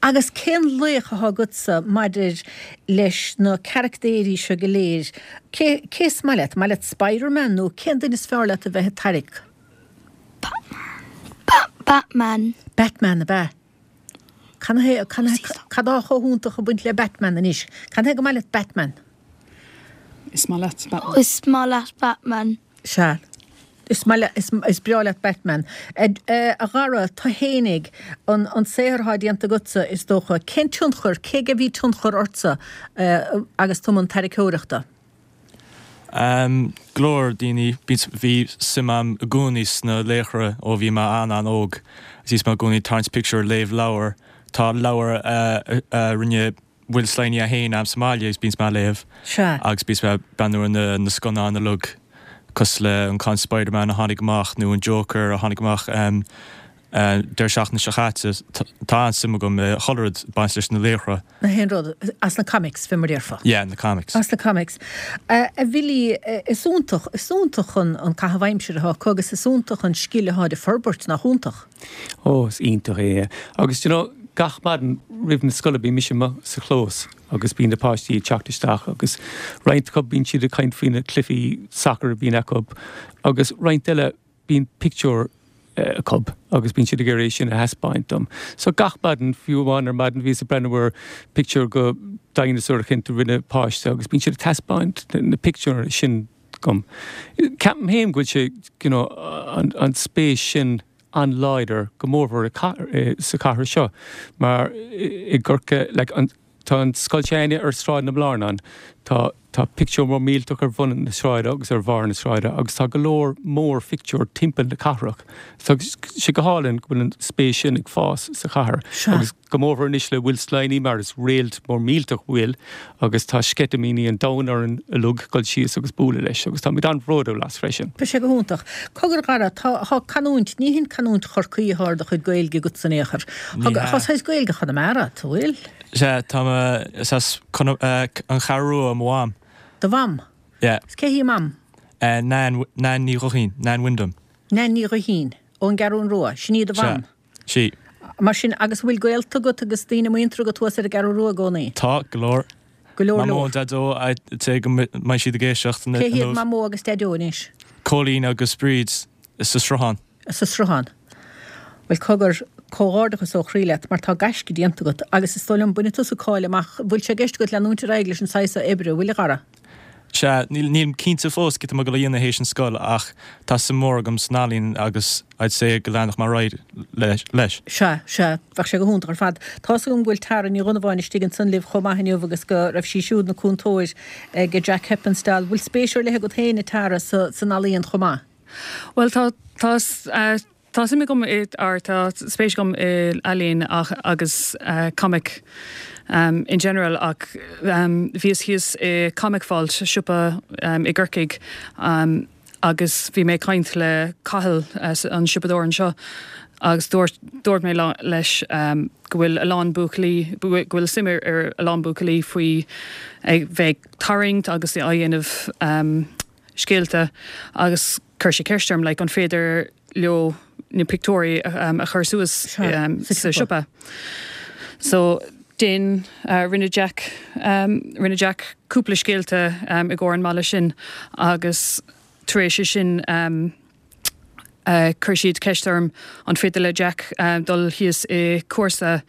Agus cén laoch atá agatsa maidir leis na caractéirí seo go léir? Cé, cé is maith leat? Maith leat Spider-Man nó cén duine is fearr leat a bheith ag tarrac? Batman. Batman, ab ea? Cad é, cad atá chomh hiontach ag baint le Batman anois? Cad é gur maith leat Batman? Is maith leat Batman. Is maith leat Batman. Sea. Is maith leat, is, is breá leat Batman. A, a Dhara, tú fhéinig, an, an saothar atá déanta agatsa, is dócha, cén tionchar, cé aige a bhí tionchar ortsa agus tú i mbun tarraiceoireachta? Go leor daoine, bhí suim a'm i gcónaí sna laochra ó bhí mé an-an-óg. Agus bhíos mé i gcónaí ag tarraingt pictiúr, léamh leabhar. Tá leabhar a rinne Will Sliney é féin a'm sa mbaile agus bíonns mé á léamh. Sea. Agus bíonns mé ag breathnú ar na na scannáin uilig cosúil le an ceann Spider-Man a tháinig amach nó an Joker a tháinig amach. Deireadh seachtaine seo chaite, tá an-suim agam i chuile rud ag baint leis na laochra. Na haon rud, as na comics, fé mar a déarfá. Yeah, na comics. As na comics. A Bhilly, is iontach, is iontach an an caitheamh aimsire atá acu agus is iontach an scil atá ag forbairt, nach iontach? Ó, is iontach é, yeah. Agus do you know, gach maidin roimh na scoile bíonn mise amuigh sa chlós agus bíonn na páistí ag teacht isteach agus roinnt acu bíonn siad ag caint faoi na cluichí sacair a bhíonn acu agus roinnt eile bíonn pictiúr acu agus bíonn siad ag iarraidh é sin a thaispeáint dom. So gach maidin, fiú amháin ar maidin bhíos ag breathnú ar pictiúr go dinosaur eicínt a rinne páiste agus bíonn siad ag taispeáint na pictiúir sin dom. Ceapaim féin go bhfuil sé, you know, an, an spéis sin an-láidir go mórmhór i, sa chathair seo mar i gCorcaigh, like, an, Tá an scoil s'againne ar Sráid na mBlárnan. Tá tá pictiúr mór millteach ar bhun na sráide agus ar bharr na sráide agus tá go leor mór phictiúr timpeall na cathrach. Tá sé go hálainn go bhfuil an spéis sin ag fás sa chathair agus go mórmhór anois le Will Sliney mar is réalt mór millteach Will agus tá sceitimíní an domhain orainn uilig dul síos agus bualadh leis agus táimid an-bhródúil as freisin. Tá sé go hiontach. Cogar a Dhara, tá tá canúint, ní hin canúint Chorcaí atá ar do chuid Gaeilge agatsa in aon chor. Ní Tá hea. saghas Gaeilge Chonamara agat, an bhfuil? Sea, tá mé, is as an Cheathrú Rua mo mham. Do mham? Yeah. Is cé hí mam? Nan, Nan Ní Ghuithín, Nan Wyndham. Nan Ní Ghuithín, ón gCeathrún Rua, sin í do mham? Sea, sí. Mar sin, agus an bhfuil gaolta agat agus daoine muinteartha agat thuas ar an gCeathrú Rua i gcónaí? Tá, go leor. Go leor Mamó leor. and Daideo, I'd say go mbeidh siad ag éisteacht Cé hiad inniu. Mamó agus Daideo anois? Cóilín agus Bríd sa Sruthán. sa Sruthán. Bhuel, cogar, comhghairdeachas ó chroí leat mar tá gaisce déanta agat agus is dóigh liom, bainfidh tusa cáil amach, bhfuil sé i gceist agat leanúint ar aghaidh leis an saghas seo oibre, an bhfuil, a Dhara? Sea, níl, nílim cinnte fós cad tá mé ag dul a dhéanamh théis an scoil ach tá suim mór agam san ealaín agus I'd say go leanfadh mé ar aghaidh leis. Sea, sea, bheadh sé go hiontach ar fad. Tá's agam go bhfuil Tara Ní Dhonnabháin istigh ansan libh chomh maith inniu agus go raibh sí siúd ina cúntóir ag Jack Heppenstall. Bhfuil spéis ar leith agat féin, a Tara, sa, san ealaíon chomh maith? Bhuel, tá, tá, tá suim agam i, or tá spéis agam i ealaín ach, agus comic um, in general ach um, bhíos thíos i Comic Vault, siopa um, i gCorcaigh um, agus bhí mé ag caint le Cathal, an siopadóir anseo agus dúirt, dúirt mé leis um, go bhfuil a lán buachaillí, go bhfuil suim ar, ar a lán buachaillí faoi ag bheith ag tarraingt agus á dhéanamh um, scéalta agus chuir sé ceist orm like an féidir leo na pictiúirí um, a chur suas um, sa siopa. So den uh, rinne Jack um, rinne Jack cúpla scéalta um, i gcomhair an mala sin agus tar éis sin um, Chuir siad ceist orm an féidir le Jack dul thíos i cúrsa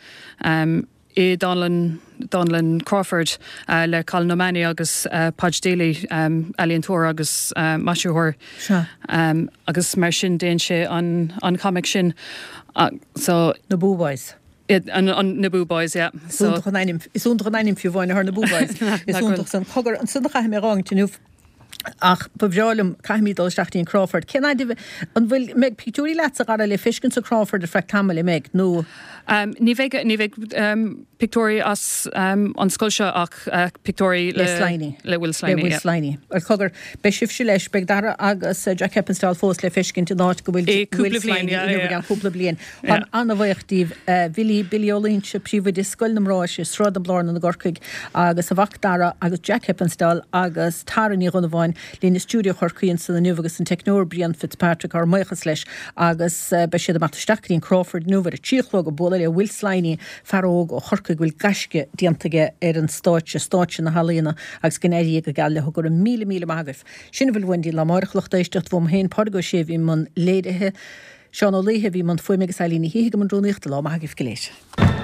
i Dánlann Dánlann Crawford le Colin O'Mahony agus Podge Daly, ealaíontóir agus maisitheoir. Agus mar sin déan sé an an comic sin. So. Na Boo Boys. Na Boo Boys, yeah. Is iontach an ainm, is iontach an ainm fiú amháin ar na Boo Boys. Is iontach san. Cogar, ansan a chaithfidh mé a dh'fhágaint inniu. Ach ba bhreá liom, caithfimid dul isteach dtí an Crawford. Cén fhaid a, an bhfuil, mbeidh pictiúirí leatsa, a Dhara, le feiscint sa Crawford ar feadh tamaill, an mbeidh, nó? Ní bheidh, ní bheidh pictiúirí as an scoil seo ach pictiúirí le, Le Sliney. le Will Sliney, Le Will yeah. Sliney. Bhuel, cogar, beidh sibhse leis, beidh Dara agus Jack Heppenstall fós le feiscint in áit go bhfuil I Will cúpla bliain, Sliney yeah, inniu i yeah. gceann cúpla bliain. Yeah. Táim an-bhuíoch díbh, Bhilly, Billy Ó Loingsigh, príomhoide Scoil na mBráithre, Sráid na Blarnan i gCorcaigh, agus a mhac Dara agus Jack Heppenstall agus Tara Ní Dhonnabháin linn i stiúideo Chorcaí ansan inniu agus an teicneoir Brian Fitzpatrick, ár mbuíochas leis agus beidh siad ag imeacht isteach go dtí an Crawford inniu ar a trí a chlog ag bualadh le Will Sliney, fear óg ó Chorcaigh go bhfuil gaisce déanta aige ar an stáitse, stáitse na healaíona agus go n-éirí go geal leo. Go raibh míle míle maith agaibh. Sin a bhfuil uainn go dtí lá amárach a lucht éisteachta uaim féin, Pádraig Ó Sé a bhí i mbun léirithe, Seán Ó Laoithe a bhí i mbun fuaime agus Eilín Ní Shíthigh i mbun rúnaíochta. Lá maith agaibh go léir.